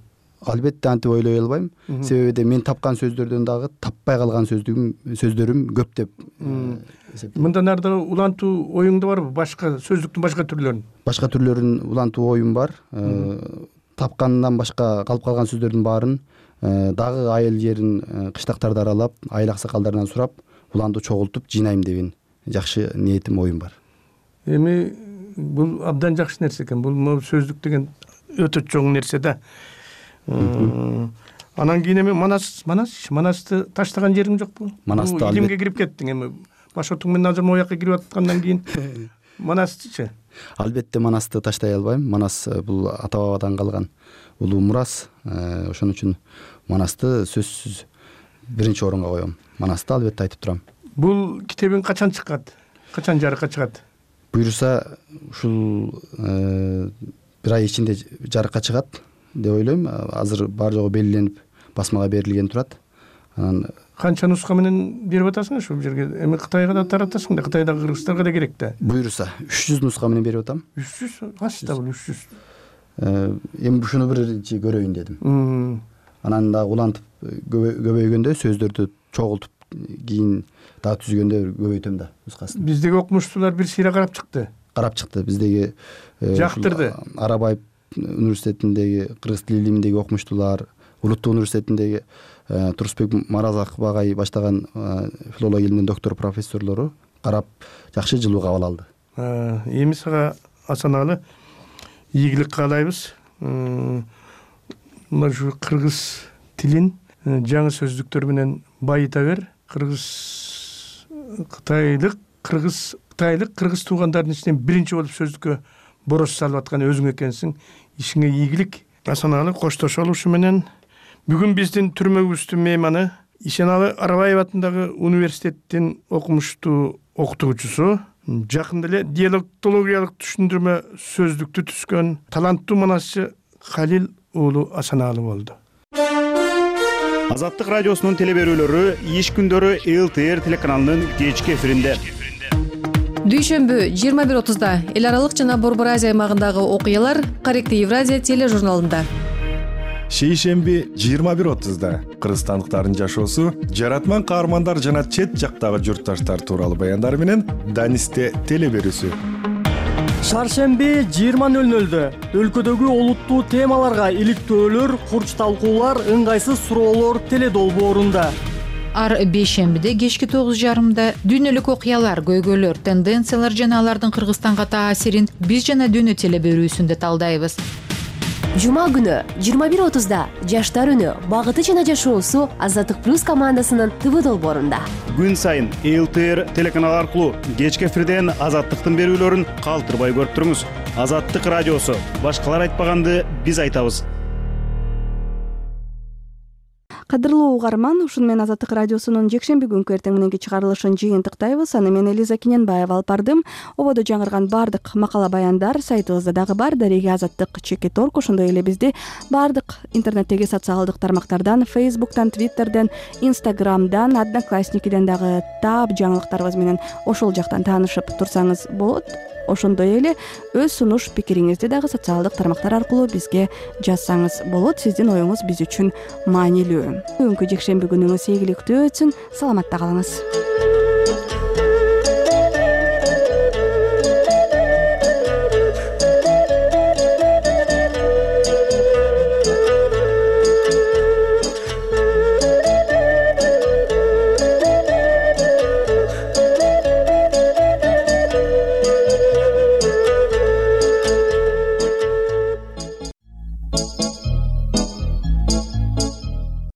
Албетте антип ойлой албайм. Себеби мен тапкан сөздөрдөн дагы таппай калган сөздүгүм сөздөрүм көп деп эсептейм. Мындан арды улантуу оюңда барбы? Башка сөздүктүн башка түрлөрүн? Башка түрлөрүн улантуу оюм бар. Тапкандан башка калып калган сөздөрдүн баарын дагы айыл жерин, кыштактарды аралап, айыл аксакалдарынан сурап, уланды чогултуп жыйнайм деген жакшы ниетим, оюм бар. Эми бул абдан жакшы нерсе экен. Бул сөздүк деген өтө чоң нерсе да. Анан кийин эми Манас, Манас, Манасты таштаган жериң жокпу? Манасты илимге кирип кеттиң эми. Башотуң менен азыр мояка кирип аткандан кийин Манастычы? Албетте Манасты таштай албайм. Манас бул ата бабадан калган улуу мурас. Ошон үчүн Манасты сөзсүз биринчи орунга коем. Манасты албетте айтып турам. Бул китебиң качан чыккат? Качан жарыкка чыгат? Буюрса ушул бир ай ичинде жарыкка чыгат деп ойлойм. Азыр бар жогу белгиленип басмага берилген турат. Анан канча нуска менен берип атасың ушул жерге? Эми Кытайга да таратасың да, Кытайдагы кыргыздарга да керек да. Буюрса үч жүз нуска менен берип атам. үч жүз? Качта бул үч жүз? Эми ушуну биринчи көрөйүн дедим. Анан дагы улантып көбөйгөндө сөздөрдү чогултуп кийин дагы түзгөндө көбөйтөм да нускасын. Биздеги окумуштуулар бир сыйра карап чыкты. Карап чыкты. Биздеги жактырды. Арабаев университетиндеги кыргыз тил илиминдеги окумуштуулар, Улуттук университетиндеги Турсбек Маразаков агай баштаган филология илиминин доктор профессорлору карап жакшы жылуу кабыл алды. Эми сага Асаналы ийгилик каалайбыз. Мына ушу кыргыз тилин жаңы сөздүктөр менен байыта бер. Кыргыз Кытайлык кыргыз Кытайлык кыргыз туугандардын ичинен биринчи болуп сөздүккө борош салып аткан өзүң экенсиң. Ишиңе ийгилик. Асаналы коштошолу ушу менен. Бүгүн биздин түрмөгүбүздүн мейманы Ишеналы Арабаев атындагы университеттин окумуштуу окутуучусу, жакында эле диалектологиялык түшүндүрмө сөздүктү түзгөн таланттуу манасчы Халил уулу Асаналы болду. Азаттык радиосунун телеберүүлөрү иш күндөрү эл тэ эр телеканалынын кечки эфиринде. Дүйшөмбү жыйырма бир отузда эл аралык жана Борбор Азия аймагындагы окуялар Корректий Евразия тележурналында. Шейшемби жыйырма бир отузда кыргызстандыктардын жашоосу, жаратман каармандар жана чет жактагы журтташтар тууралуу баяндар менен Данисте телеберүүсү. Шаршемби жыйырма нөл нөлдө өлкөдөгү олуттуу темаларга иликтөөлөр, курч талкуулар, ыңгайсыз суроолор теледолбоорунда. ар бейшембиде кечки тогуз жарымда дүйнөлүк окуялар, көйгөйлөр, тенденциялар жана алардын Кыргызстанга таасирин биз жана дүйнө теле берүүсүндө талдайбыз. Жума күнү жыйырма бир отузда Жаштар үнү багыты жана жашоосу Азаттык плюс командасынын ТВ долбоорунда. Күн сайын эл тэ эр телеканалы аркылуу кечки эфирден Азаттыктын берүүлөрүн калтырбай көрүп туруңуз. Азаттык радиосу. Башкалар айтпаганды биз айтабыз. Кадырлуу угарман, ушуну менен Азаттык радиосунун жекшемби күнкү эртең мененки чыгарылышын жыйынтыктайбыз. Аны мен Элиза Кененбаева алып бардым. Ободо жаңырган бардык макала баяндар сайтыбызда дагы бар. Дареги Азаттык чекит точка орг, ошондой эле бизди бардык интернеттеги социалдык тармактардан, Фейсбуктан, Твиттерден, Инстаграмдан, Одноклассникиден дагы таап жаңылыктарыбыз менен ошол жактан таанышып турсаңыз болот. Ошондой эле өз сунуш пикириңизди дагы социалдык тармактар аркылуу бизге жазсаңыз болот. Сиздин оюңуз биз үчүн маанилүү. Бүгүнкү жекшемби күнүңүз ийгиликтүү өтсүн. Саламатта калыңыз.